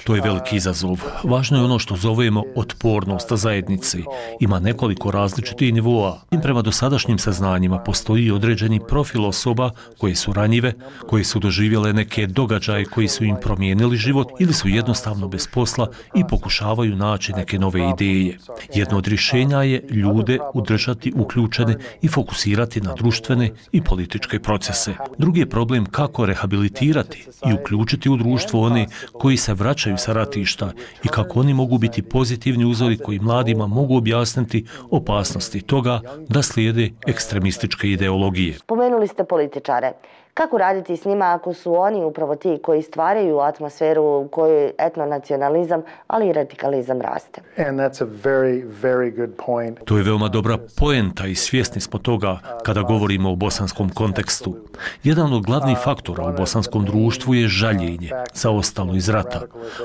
To je veliki izazov. Važno je ono što zovemo otpornost zajednice. Ima nekoliko različitih nivoa. I prema dosadašnjim saznanjima postoji određeni profil osoba koje su ranjive, koje su doživjele neke događaje koji su im promijenili život ili su jednostavno bez posla i pokušavaju naći neke nove ideje. Jedno od rješenja je ljude udržati uključene i fokusirati na društvene i političke procese. Drugi je problem kako rehabilitirati i uključiti u društvo one koji se vraćaju sa ratišta i kako oni mogu biti pozitivni uzori koji mladima mogu objasniti opasnosti toga da slijede ekstremističke ideologije. Spomenuli ste političare. Kako raditi s njima ako su oni upravo ti koji stvaraju atmosferu u kojoj etnonacionalizam, ali i radikalizam raste? To je veoma dobra poenta i svjesni smo toga kada govorimo o bosanskom kontekstu. Jedan od glavnih faktora u bosanskom društvu je žaljenje za ostalo iz rata.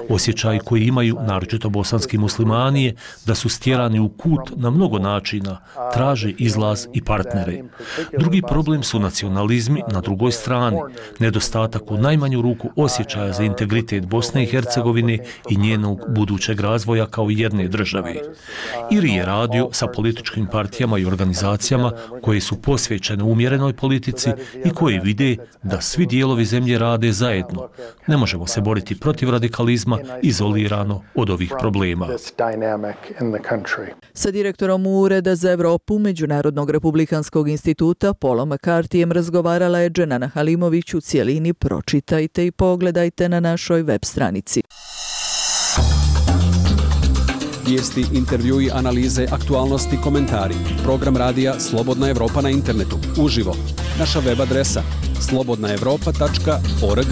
Osjećaj koji imaju, naročito bosanski muslimani, je da su stjerani u kut na mnogo načina, traže izlaz i partnere. Drugi problem su nacionalizmi na drugoj strani, nedostatak u najmanju ruku osjećaja za integritet Bosne i Hercegovine i njenog budućeg razvoja kao jedne države. Ili je radio sa političkim partijama i organizacijama koje su posvećene umjerenoj politici i koje vide da svi dijelovi zemlje rade zajedno. Ne možemo se boriti protiv radikalizma izolirano od ovih problema. Sa direktorom Ureda za Evropu Međunarodnog republikanskog instituta Paulom McCarthyjem razgovarala je Dženana Halimović. U cijelini pročitajte i pogledajte na našoj web stranici. Vijesti, intervjui, analize, aktualnosti, komentari. Program radija Slobodna Evropa na internetu. Uživo. Naša web adresa slobodnaevropa.org.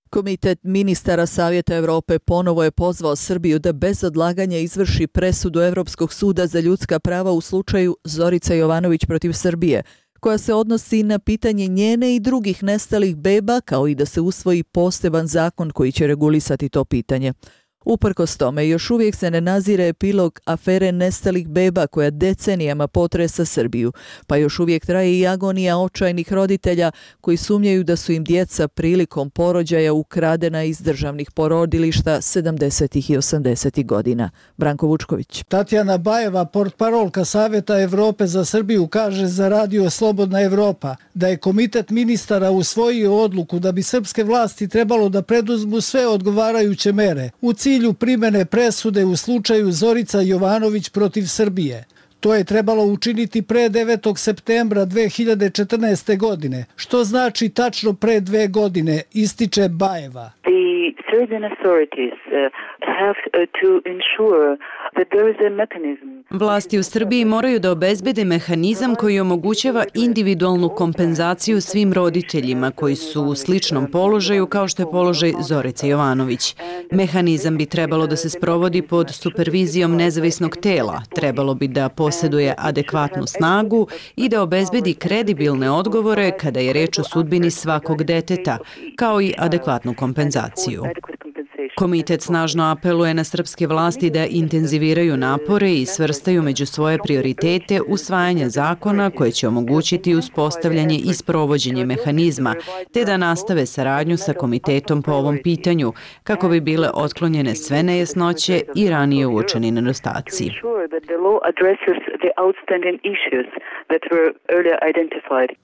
Komitet ministara Savjeta Europe ponovo je pozvao Srbiju da bez odlaganja izvrši presudu Europskog suda za ljudska prava u slučaju Zorica Jovanović protiv Srbije, koja se odnosi na pitanje njene i drugih nestalih beba, kao i da se usvoji poseban zakon koji će regulisati to pitanje. Uprkos tome, još uvijek se ne nazire epilog afere nestalih beba koja decenijama potresa Srbiju, pa još uvijek traje i agonija očajnih roditelja koji sumnjaju da su im djeca prilikom porođaja ukradena iz državnih porodilišta 70. i 80. godina. Branko Vučković. Tatjana Bajeva, portparolka Savjeta Evrope za Srbiju, kaže za radio Slobodna Evropa da je komitet ministara usvojio odluku da bi srpske vlasti trebalo da preduzmu sve odgovarajuće mere u cilju primjene presude u slučaju Zorica Jovanović protiv Srbije. To je trebalo učiniti pre 9. septembra 2014. godine, što znači tačno pre 2 godine, ističe Bajeva. Serbian authorities have to ensure that there is a mechanism. Vlasti u Srbiji moraju da obezbede mehanizam koji omogućava individualnu kompenzaciju svim roditeljima koji su u sličnom položaju kao što je položaj Zorice Jovanović. Mehanizam bi trebalo da se sprovodi pod supervizijom nezavisnog tela, trebalo bi da posjeduje adekvatnu snagu i da obezbedi kredibilne odgovore kada je reč o sudbini svakog deteta, kao i adekvatnu kompenzaciju. Komitet snažno apeluje na srpske vlasti da intenziviraju napore i svrstaju među svoje prioritete usvajanje zakona koje će omogućiti uspostavljanje i sprovođenje mehanizma, te da nastave saradnju sa komitetom po ovom pitanju, kako bi bile otklonjene sve nejasnoće i ranije uočeni nedostaci.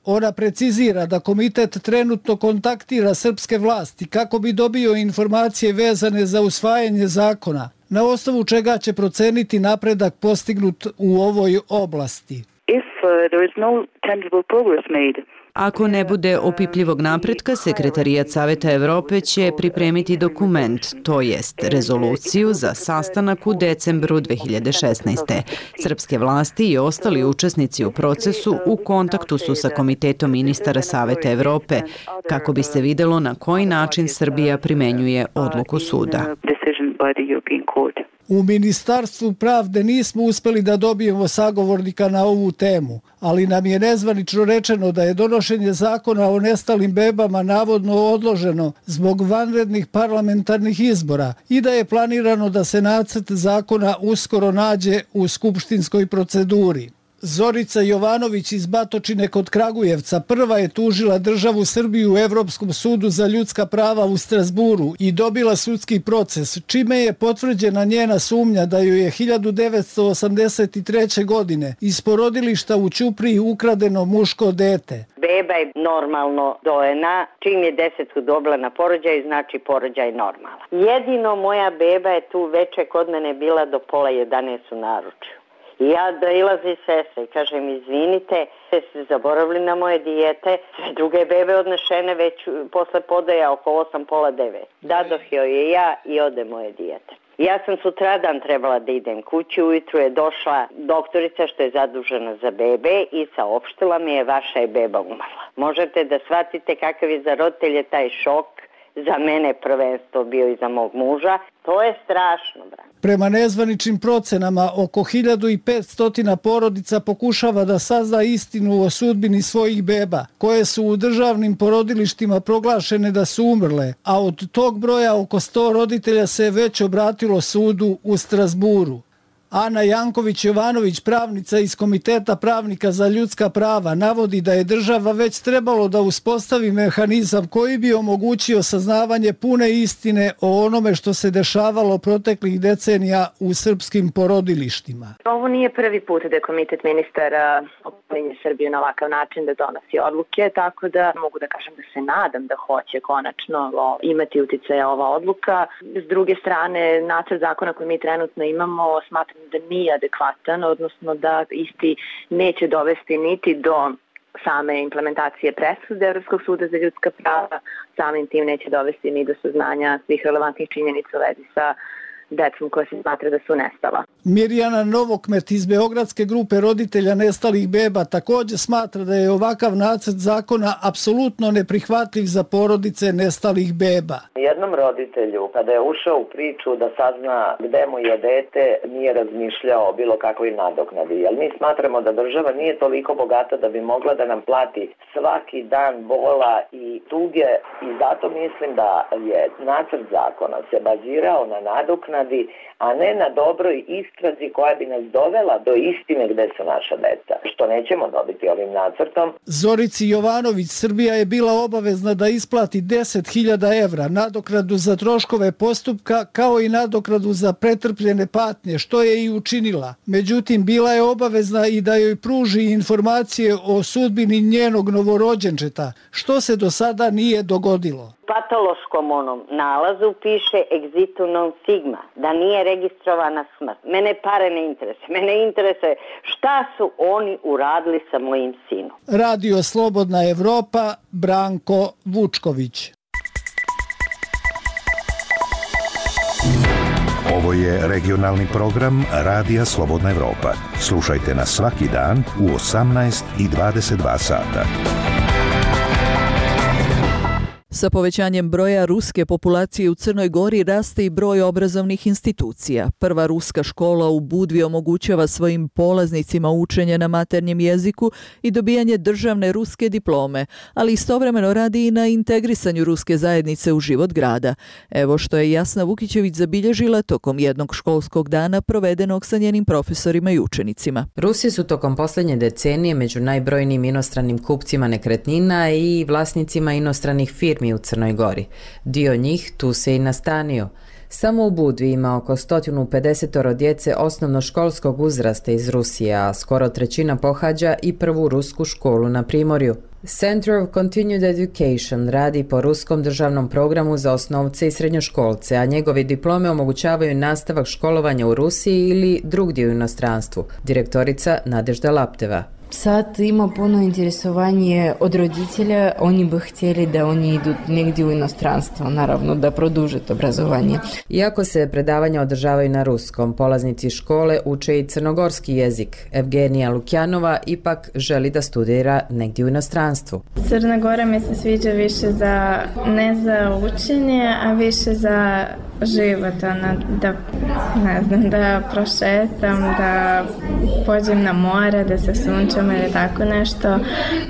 Ona precizira da komitet trenutno kontaktira srpske vlasti kako bi dobio informacije vezane za usvajanje zakona, na osnovu čega će proceniti napredak postignut u ovoj oblasti. Ako ne bude opipljivog napretka, Sekretarijat Saveta Evrope će pripremiti dokument, to jest rezoluciju za sastanak u decembru 2016. Srpske vlasti i ostali učesnici u procesu u kontaktu su sa Komitetom ministara Saveta Evrope, kako bi se videlo na koji način Srbija primenjuje odluku suda. U Ministarstvu pravde nismo uspeli da dobijemo sagovornika na ovu temu, ali nam je nezvanično rečeno da je donošenje zakona o nestalim bebama navodno odloženo zbog vanrednih parlamentarnih izbora i da je planirano da se nacrt zakona uskoro nađe u skupštinskoj proceduri. Zorica Jovanović iz Batočine kod Kragujevca prva je tužila državu Srbiju u Evropskom sudu za ljudska prava u Strasburu i dobila sudski proces, čime je potvrđena njena sumnja da joj je 1983. godine iz porodilišta u Ćupriji ukradeno muško dete. Beba je normalno dojena, čim je 10 dobila na porođaju, znači porođaj normalan. Jedino moja beba je tu veče kod mene bila do 10:30 u naručju. Ja dolazi sestra i kažem, izvinite, ste zaboravili na moje dijete, sve druge bebe odnešene već posle podaja oko 8:30. Dadoh joj je ja i ode moje dijete. Ja sam sutradan trebala da idem kući, ujutru je došla doktorica što je zadužena za bebe i saopštila mi je vaša je beba umrla. Možete da shvatite kakav je za roditelje taj šok, za mene prvenstvo bio i za mog muža. To je strašno, brat. Prema nezvaničnim procenama, oko 1500 porodica pokušava da sazna istinu o sudbini svojih beba, koje su u državnim porodilištima proglašene da su umrle, a od tog broja oko 100 roditelja se već obratilo sudu u Strasburu. Ana Janković-Jovanović, pravnica iz Komiteta pravnika za ljudska prava, navodi da je država već trebalo da uspostavi mehanizam koji bi omogućio saznavanje pune istine o onome što se dešavalo proteklih decenija u srpskim porodilištima. Ovo nije prvi put da je Komitet ministara opominje Srbiju na ovakav način da donosi odluke, tako da mogu da kažem da se nadam da hoće konačno imati uticaja ova odluka. S druge strane, nacrt zakona koji mi trenutno imamo smatram da nije adekvatan, odnosno da isti neće dovesti niti do same implementacije presude Evropskog suda za ljudska prava, samim tim neće dovesti ni do saznanja svih relevantnih činjenica u vezi sa decom koja se smatra da su nestala. Mirjana Novokmet iz Beogradske grupe roditelja nestalih beba također smatra da je ovakav nacrt zakona apsolutno neprihvatljiv za porodice nestalih beba. Jednom roditelju, kada je ušao u priču da sazna gde mu je dete, nije razmišljao o bilo kakvoj nadoknadi. Jer mi smatramo da država nije toliko bogata da bi mogla da nam plati svaki dan bola i tuge i zato mislim da je nacrt zakona se bazirao na nadoknadi, a ne na dobroj istrazi koja bi nas dovela do istine gde su naša deca, što nećemo dobiti ovim nacrtom. Zorici Jovanović Srbija je bila obavezna da isplati 10.000 evra nadoknadu za troškove postupka kao i nadoknadu za pretrpljene patnje, što je i učinila. Međutim, bila je obavezna i da joj pruži informacije o sudbini njenog novorođenčeta, što se do sada nije dogodilo. Patološkom onom nalazu piše exitu non sigma, da nije registrovana smrt. Mene pare ne interesuje. Mene interesuje šta su oni uradili sa mojim sinom. Radio Slobodna Evropa, Branko Vučković. Ovo je regionalni program Radija Slobodna Evropa. Slušajte nas svaki dan u 18 i 22 sata. Sa povećanjem broja ruske populacije u Crnoj Gori raste i broj obrazovnih institucija. Prva ruska škola u Budvi omogućava svojim polaznicima učenje na maternjem jeziku i dobijanje državne ruske diplome, ali istovremeno radi i na integrisanju ruske zajednice u život grada. Evo što je Jasna Vukićević zabilježila tokom jednog školskog dana provedenog sa njenim profesorima i učenicima. Rusi su tokom posljednje decenije među najbrojnijim inostranim kupcima nekretnina i vlasnicima inostranih firmi u Crnoj Gori. Dio njih tu se i nastanio. Samo u Budvi ima oko 150 djece osnovnoškolskog uzrasta iz Rusije, a skoro trećina pohađa i prvu rusku školu na Primorju. Center of Continued Education radi po ruskom državnom programu za osnovce i srednjoškolce, a njegovi diplome omogućavaju nastavak školovanja u Rusiji ili drugdje u inostranstvu. Direktorica Nadežda Lapteva. Sad ima puno interesovanje od roditelja, oni bi htjeli da oni idu negdje u inostranstvo, naravno da produže obrazovanje. Iako se predavanja održavaju na ruskom, polaznici škole uče i crnogorski jezik. Evgenija Lukjanova ipak želi da studira negdje u inostranstvu. Crna Gora mi se sviđa više ne za učenje, a više za život, da prošetam, da pođem na more, da se sunčam ili tako nešto,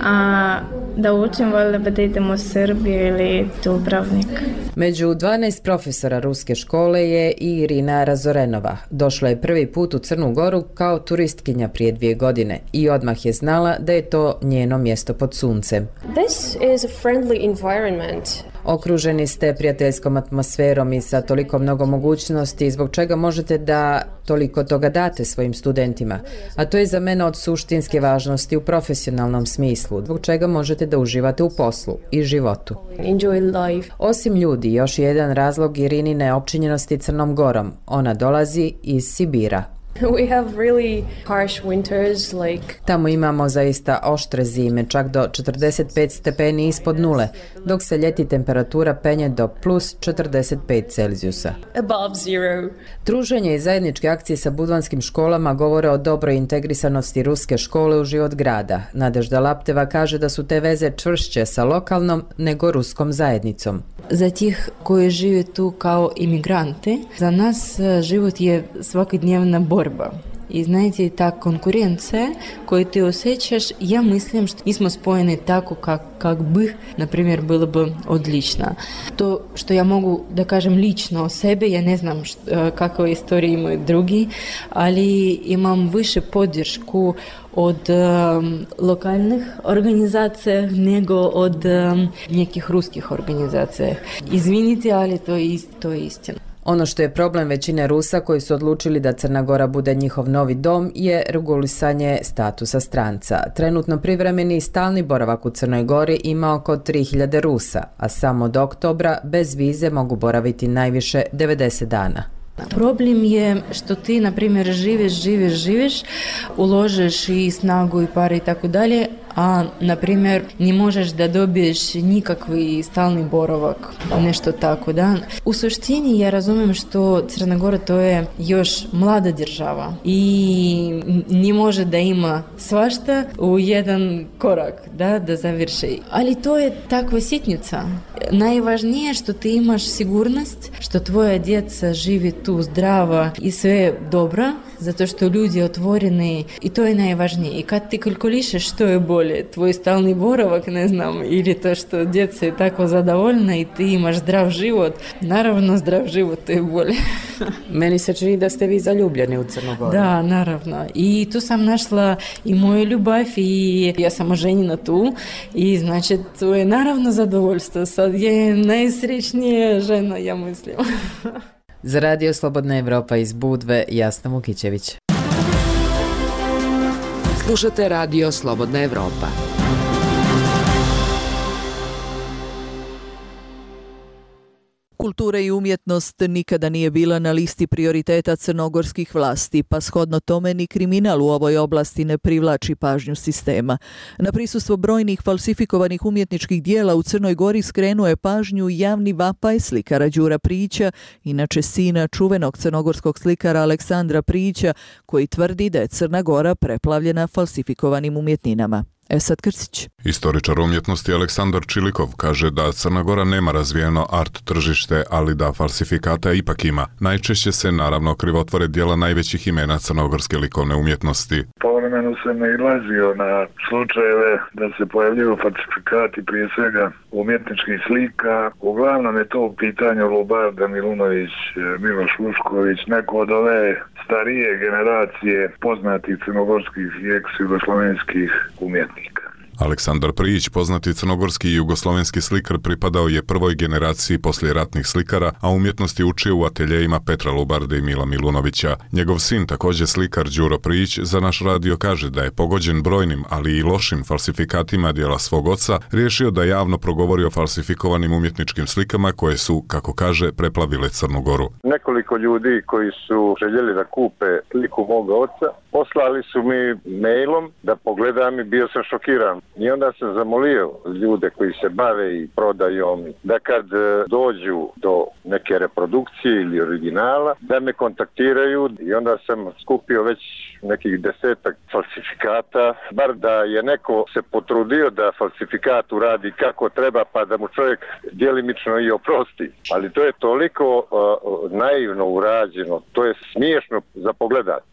a da učim voljela da idem u Srbiju ili Dubrovnik. Među 12 profesora ruske škole je i Irina Razorenova. Došla je prvi put u Crnu Goru kao turistkinja prije 2 godine i odmah je znala da je to njeno mjesto pod suncem. This is a friendly environment. Okruženi ste prijateljskom atmosferom i sa toliko mnogo mogućnosti, zbog čega možete da toliko toga date svojim studentima. A to je za mene od suštinske važnosti u profesionalnom smislu, zbog čega možete da uživate u poslu i životu. Enjoy life. Osim ljudi, još jedan razlog Irinine opčinjenosti Crnom Gorom. Ona dolazi iz Sibira. We have really harsh winters, like... Tamo imamo zaista oštre zime, čak do 45 stepeni ispod nule, dok se ljeti temperatura penje do plus 45 Celzijusa. Above zero. Druženje i zajedničke akcije sa budvanskim školama govore o dobroj integrisanosti ruske škole u život grada. Nadežda Lapteva kaže da su te veze čvršće sa lokalnom nego ruskom zajednicom. Za tih koji žive tu kao imigranti, za nas život je svakodnevna borba. I знаете, ta konkurencija koju ti osjećaš, ja mislim što nismo spojeni tako kak bi, na primjer, bilo bi odlično. To što ja mogu da kažem lično o sebi, ja ne znam kakve istorije imaju drugi, ali imam više podršku od lokalnih organizacija nego od nekih ruskih organizacija. Izvinite, ali to je istina. Ono što je problem većine Rusa koji su odlučili da Crna Gora bude njihov novi dom je regulisanje statusa stranca. Trenutno privremeni i stalni boravak u Crnoj Gori ima oko 3000 Rusa, a samo od oktobra bez vize mogu boraviti najviše 90 dana. Problem je što ti, na primjer, živiš, uložiš i snagu i pare i tako dalje, a, na primjer, ne možeš da dobiješ nikakvi stalni boravak, nešto tako, da. U suštini ja razumijem što Crna Gora to je još mlada država i ne može da ima svašta u jedan korak, da završi. Ali to je takva sitnica. Najvažnije što ti imaš sigurnost, što tvoja djeca živi tu zdrava i sve dobro, zato što ljudi otvoreni i to je najvažnije. I kad ti kalkulišeš što je bolje, tvoj stalni boravak, ne znam, ili to što djeca je tako zadovoljna i ti imaš zdrav život, naravno zdrav život to je bolje. Meni se čini da ste vi zaljubljeni u Crnu Goru. Da, naravno. I tu sam našla i moju ljubav i ja sam oženjena tu i znači to je naravno zadovoljstvo. Sad je najsrećnija žena, ja mislim. Za Radio Slobodna Evropa iz Budve, Jasna Vukićević. Slušate Radio Slobodna Evropa. Kultura i umjetnost nikada nije bila na listi prioriteta crnogorskih vlasti, pa shodno tome ni kriminal u ovoj oblasti ne privlači pažnju sistema. Na prisustvo brojnih falsifikovanih umjetničkih dijela u Crnoj Gori skrenuo je pažnju javni vapaj slikara Đura Prijića, inače sina čuvenog crnogorskog slikara Aleksandra Prijića, koji tvrdi da je Crna Gora preplavljena falsifikovanim umjetninama. Esad Krstić. Istoričar umjetnosti Aleksandar Čilikov kaže da Crna Gora nema razvijeno art tržište, ali da falsifikata ipak ima. Najčešće se naravno krivotvore dijela najvećih imena crnogorske likovne umjetnosti. Povremeno se nailazio na slučajeve da se pojavljuju falsifikati prije svega umjetničkih slika. Uglavnom je to u pitanju Lubarda Milunović, Miloš Vušković, neko od ove starije generacije poznatih crnogorskih i ex-jugoslovenskih umjetnika. Aleksandar Prijić, poznati crnogorski i jugoslovenski slikar, pripadao je prvoj generaciji poslijeratnih slikara, a umjetnosti učio u ateljejima Petra Lubarde i Mila Milunovića. Njegov sin, također slikar Đuro Prijić, za naš radio kaže da je pogođen brojnim, ali i lošim falsifikatima dijela svog oca, riješio da javno progovori o falsifikovanim umjetničkim slikama koje su, kako kaže, preplavile Crnu Goru. Nekoliko ljudi koji su željeli da kupe sliku moga oca, poslali su mi mailom da pogledam i bio sam šokiran. I onda sam zamolio ljude koji se bave i prodajom da kad dođu do neke reprodukcije ili originala, da me kontaktiraju i onda sam skupio već nekih 10 falsifikata, bar da je neko se potrudio da falsifikat uradi kako treba pa da mu čovjek djelimično i oprosti. Ali to je toliko naivno urađeno, to je smiješno za pogledat.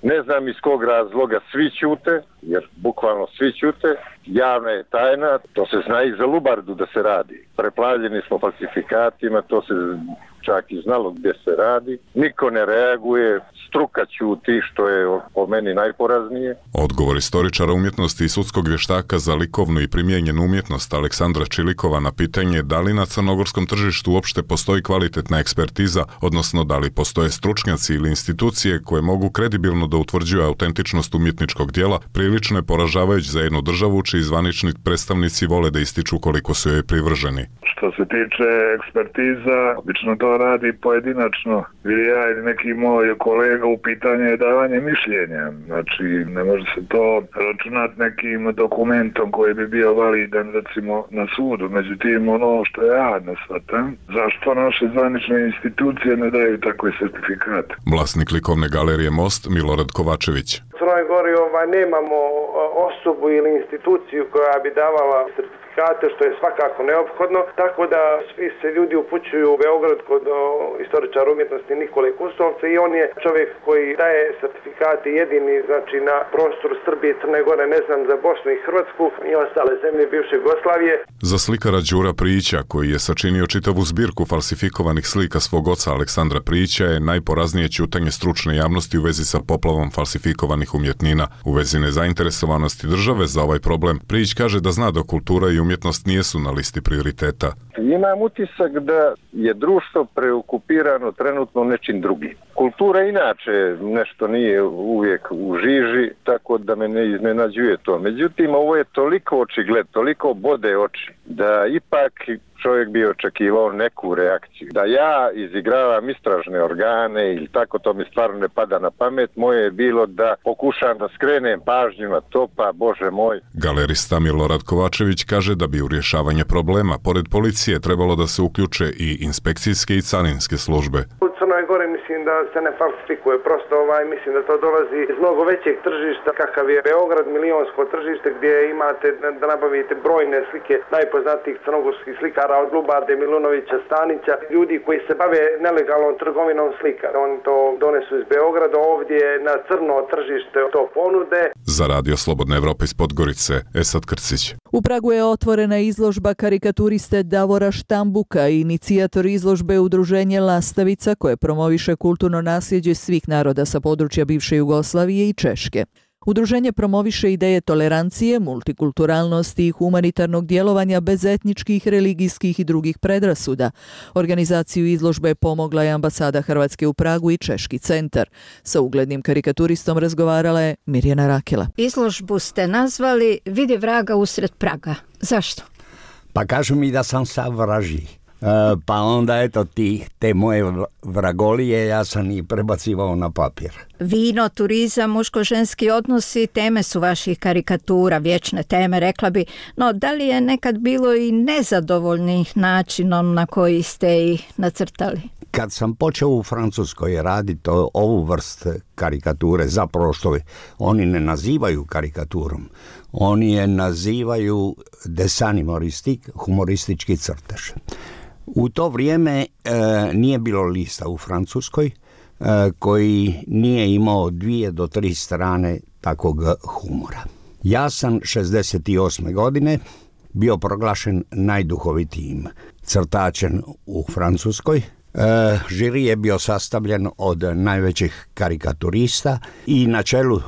Ne znam iz kog razloga svi ćute, jer bukvalno svi ćute, javna je tajna, to se zna i za Lubardu da se radi. Preplavljeni smo falsifikatima, to se čak i znalo gdje se radi. Niko ne reaguje, struka ćuti, što je po meni najporaznije. Odgovor istoričara umjetnosti i sudskog vještaka za likovnu i primijenjenu umjetnost Aleksandra Čilikova na pitanje da li na crnogorskom tržištu uopšte postoji kvalitetna ekspertiza, odnosno da li postoje stručnjaci ili institucije koje mogu kredibilno da utvrđuju autentičnost umjetničkog dijela, prilično je poražavajuć za jednu državu čiji zvanični predstavnici vole da ističu koliko su joj privrženi. Što se tiče ekspertiza, obično to radi pojedinačno, ili ja ili neki moj kolega, u pitanju je davanje mišljenja. Znači, ne može se to računati nekim dokumentom koji bi bio validan, recimo, na sudu. Međutim, ono što ja ne shvatam, zašto naše zvanične institucije ne daju takve sertifikate? Vlasnik likovne galerije Most, Milorad Kovačević. U Crnoj Gori nemamo osobu ili instituciju koja bi davala sertifikate, što je svakako neophodno, tako da svi se ljudi upućuju u Beograd kod istoričara umjetnosti Nikole Kusovca i on je čovjek koji daje sertifikate jedini, znači na prostoru Srbije, Crne Gore, ne znam za Bosnu i Hrvatsku i ostale zemlje bivše Jugoslavije. Za slikara Đura Prijića, koji je sačinio čitavu zbirku falsifikovanih slika svog oca Aleksandra Prijića, je najporaznije ćutanje stručne javnosti u vezi sa poplavom falsifikovanih umjetnina. U vezi nezainteresovanosti države za ovaj problem, Prijić kaže da zna da kultura i umjetnost nijesu na listi prioriteta. Imam utisak da je društvo preokupirano trenutno nečim drugim. Kultura inače nešto nije uvijek u žiži, tako da me ne iznenađuje to. Međutim, ovo je toliko očigled, toliko bode oči, da ipak čovjek bi očekivao neku reakciju. Da ja izigravam istražne organe ili tako, to mi stvarno ne pada na pamet. Moje je bilo da pokušam da skrenem pažnju na to, pa Bože moj. Galerista Milorad Kovačević kaže da bi u rješavanje problema, pored policije, trebalo da se uključe i inspekcijske i carinske službe. U Crnoj Gori mislim da se ne falsifikuje, prosto mislim da to dolazi iz mnogo većeg tržišta, kakav je Beograd, milionsko tržište gdje imate da nabavite brojne slike najpoznatijih crnogorskih slikara od Lubarde, Milunovića, Stanića, ljudi koji se bave nelegalnom trgovinom slika. Oni to donesu iz Beograda, ovdje na crno tržište to ponude. Za Radio Slobodna Evropa iz Podgorice, Esad Krcić. U Pragu je otvorena izložba karikaturiste Davora Štambuka, inicijator izložbe Udruženje Lastavica, koje promoviše kulturno nasljeđe svih naroda sa područja bivše Jugoslavije i Češke. Udruženje promoviše ideje tolerancije, multikulturalnosti i humanitarnog djelovanja bez etničkih, religijskih i drugih predrasuda. Organizaciju izložbe pomogla je ambasada Hrvatske u Pragu i Češki centar. Sa uglednim karikaturistom razgovarala je Mirjana Rakela. Izložbu ste nazvali Vidi vraga usred Praga. Zašto? Pa kažu mi da sam sav vražji. Pa onda eto te moje vragolije ja sam ih prebacivao na papir. Vino, turizam, muško-ženski odnosi teme su vaših karikatura, vječne teme, rekla bi. No, da li je nekad bilo i nezadovoljnih načinom na koji ste ih nacrtali? Kad sam počeo u Francuskoj raditi ovu vrst karikature, zapravo što oni ne nazivaju karikaturom, oni je nazivaju dessin humoristique, humoristički crtež. U to vrijeme nije bilo lista u Francuskoj koji nije imao 2 do 3 strane takvog humora. Ja sam 68. godine bio proglašen najduhovitijim crtačem u Francuskoj. Žiri je bio sastavljen od najvećih karikaturista i na čelu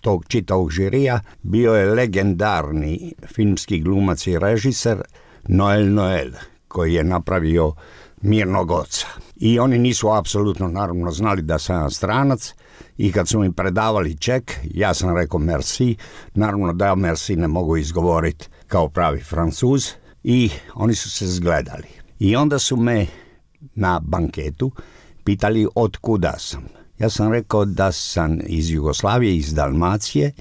tog čitavog žirija bio je legendarni filmski glumac i režiser Noel, koji je napravio Mirnog oca. I oni nisu apsolutno naravno znali da sam ja stranac i kad su mi predavali ček, ja sam rekao merci, naravno da ja merci ne mogu izgovoriti kao pravi Francuz i oni su se zgledali. I onda su me na banketu pitali od kuda sam. Ja sam rekao da sam iz Jugoslavije, iz Dalmacije.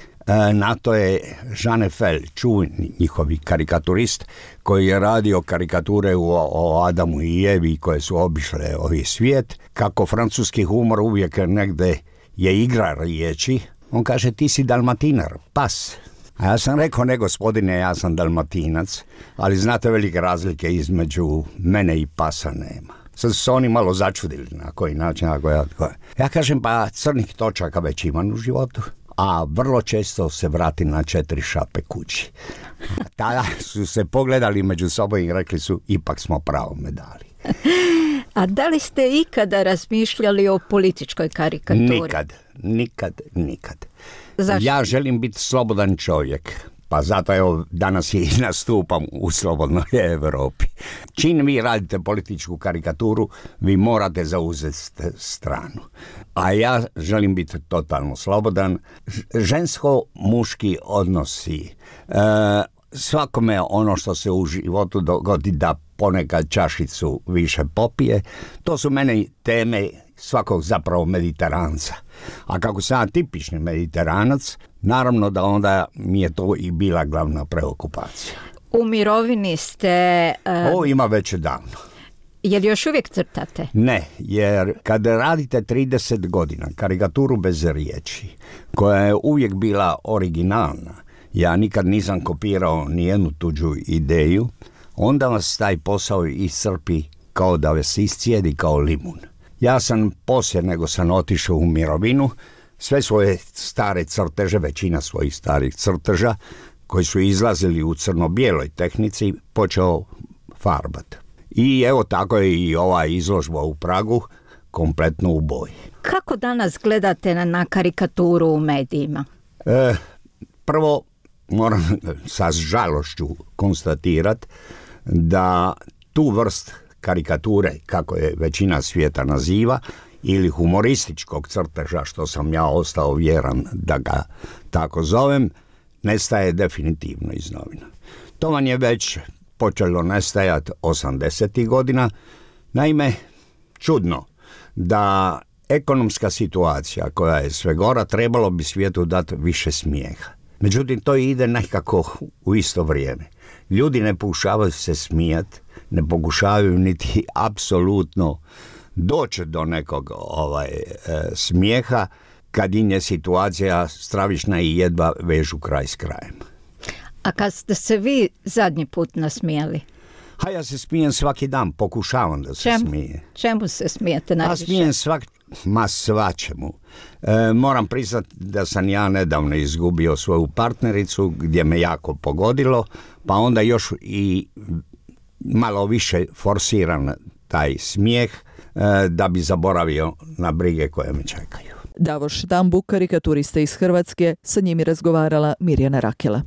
Na to je Jean Eiffel, čuveni njihovi karikaturist, koji je radio karikature o Adamu i Evi koje su obišle ovaj svijet. Kako francuski humor uvijek negde je igra riječi, on kaže ti si Dalmatinar, pas. A ja sam rekao, ne gospodine, ja sam Dalmatinac, ali znate velike razlike između mene i pasa nema. Sad su se oni malo začudili na koji način. Ja kažem, pa crnih točaka već imam u životu, a vrlo često se vrati na 4 šape kući. Tada su se pogledali među sobom i rekli su, ipak smo pravo medali. A da li ste ikada razmišljali o političkoj karikaturi? Nikad. Zašto? Ja želim biti slobodan čovjek. Pa zato evo danas i nastupam u Slobodnoj Europi. Čim vi radite političku karikaturu, vi morate zauzeti stranu. A ja želim biti totalno slobodan. Žensko-muški odnosi. Svakome ono što se u životu dogodi da ponekad čašicu više popije, to su meni teme svakog zapravo Mediteranca. A kako sam ja tipični Mediteranac, naravno da onda mi je to i bila glavna preokupacija. U mirovini ste... Ovo ima već davno. Jel još uvijek crtate? Ne, jer kad radite 30 godina karikaturu bez riječi, koja je uvijek bila originalna, ja nikad nisam kopirao nijednu tuđu ideju, onda vas taj posao iscrpi kao da vas iscijedi kao limun. Ja sam poslije nego sam otišao u mirovinu, sve svoje stare crteže, većina svojih starih crteža, koji su izlazili u crno-bijeloj tehnici, počeo farbat. I evo tako je i ova izložba u Pragu, kompletno u boji. Kako danas gledate na karikaturu u medijima? Prvo, moram sa žalošću konstatirati da tu vrst karikature, kako je većina svijeta naziva, ili humorističkog crteža, što sam ja ostao vjeran da ga tako zovem, nestaje definitivno iz novina. To vam je već počelo nestajati 80. godina. Naime, čudno da ekonomska situacija koja je sve gora, trebalo bi svijetu dati više smijeha. Međutim, to ide nekako u isto vrijeme. Ljudi ne pokušavaju se smijati, ne pokušavaju niti apsolutno doći do nekog smijeha kad im je situacija stravična i jedva vežu kraj s krajem. A kad ste se vi zadnji put nasmijali? A ja se smijem svaki dan, pokušavam da se smije. Čemu se smijete najviše? A smijem svačemu. Moram priznati da sam ja nedavno izgubio svoju partnericu gdje me jako pogodilo, pa onda još i malo više forsiram taj smijeh da bi zaboravio na brige koje me čekaju. Davor Štambuk, karikaturista iz Hrvatske, sa njim je razgovarala Mirjana Rakela.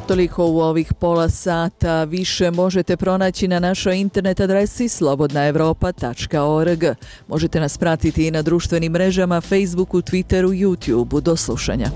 Toliko u ovih pola sata. Više možete pronaći na našoj internet adresi slobodnaevropa.org. Možete nas pratiti i na društvenim mrežama, Facebooku, Twitteru, YouTubeu. Do slušanja.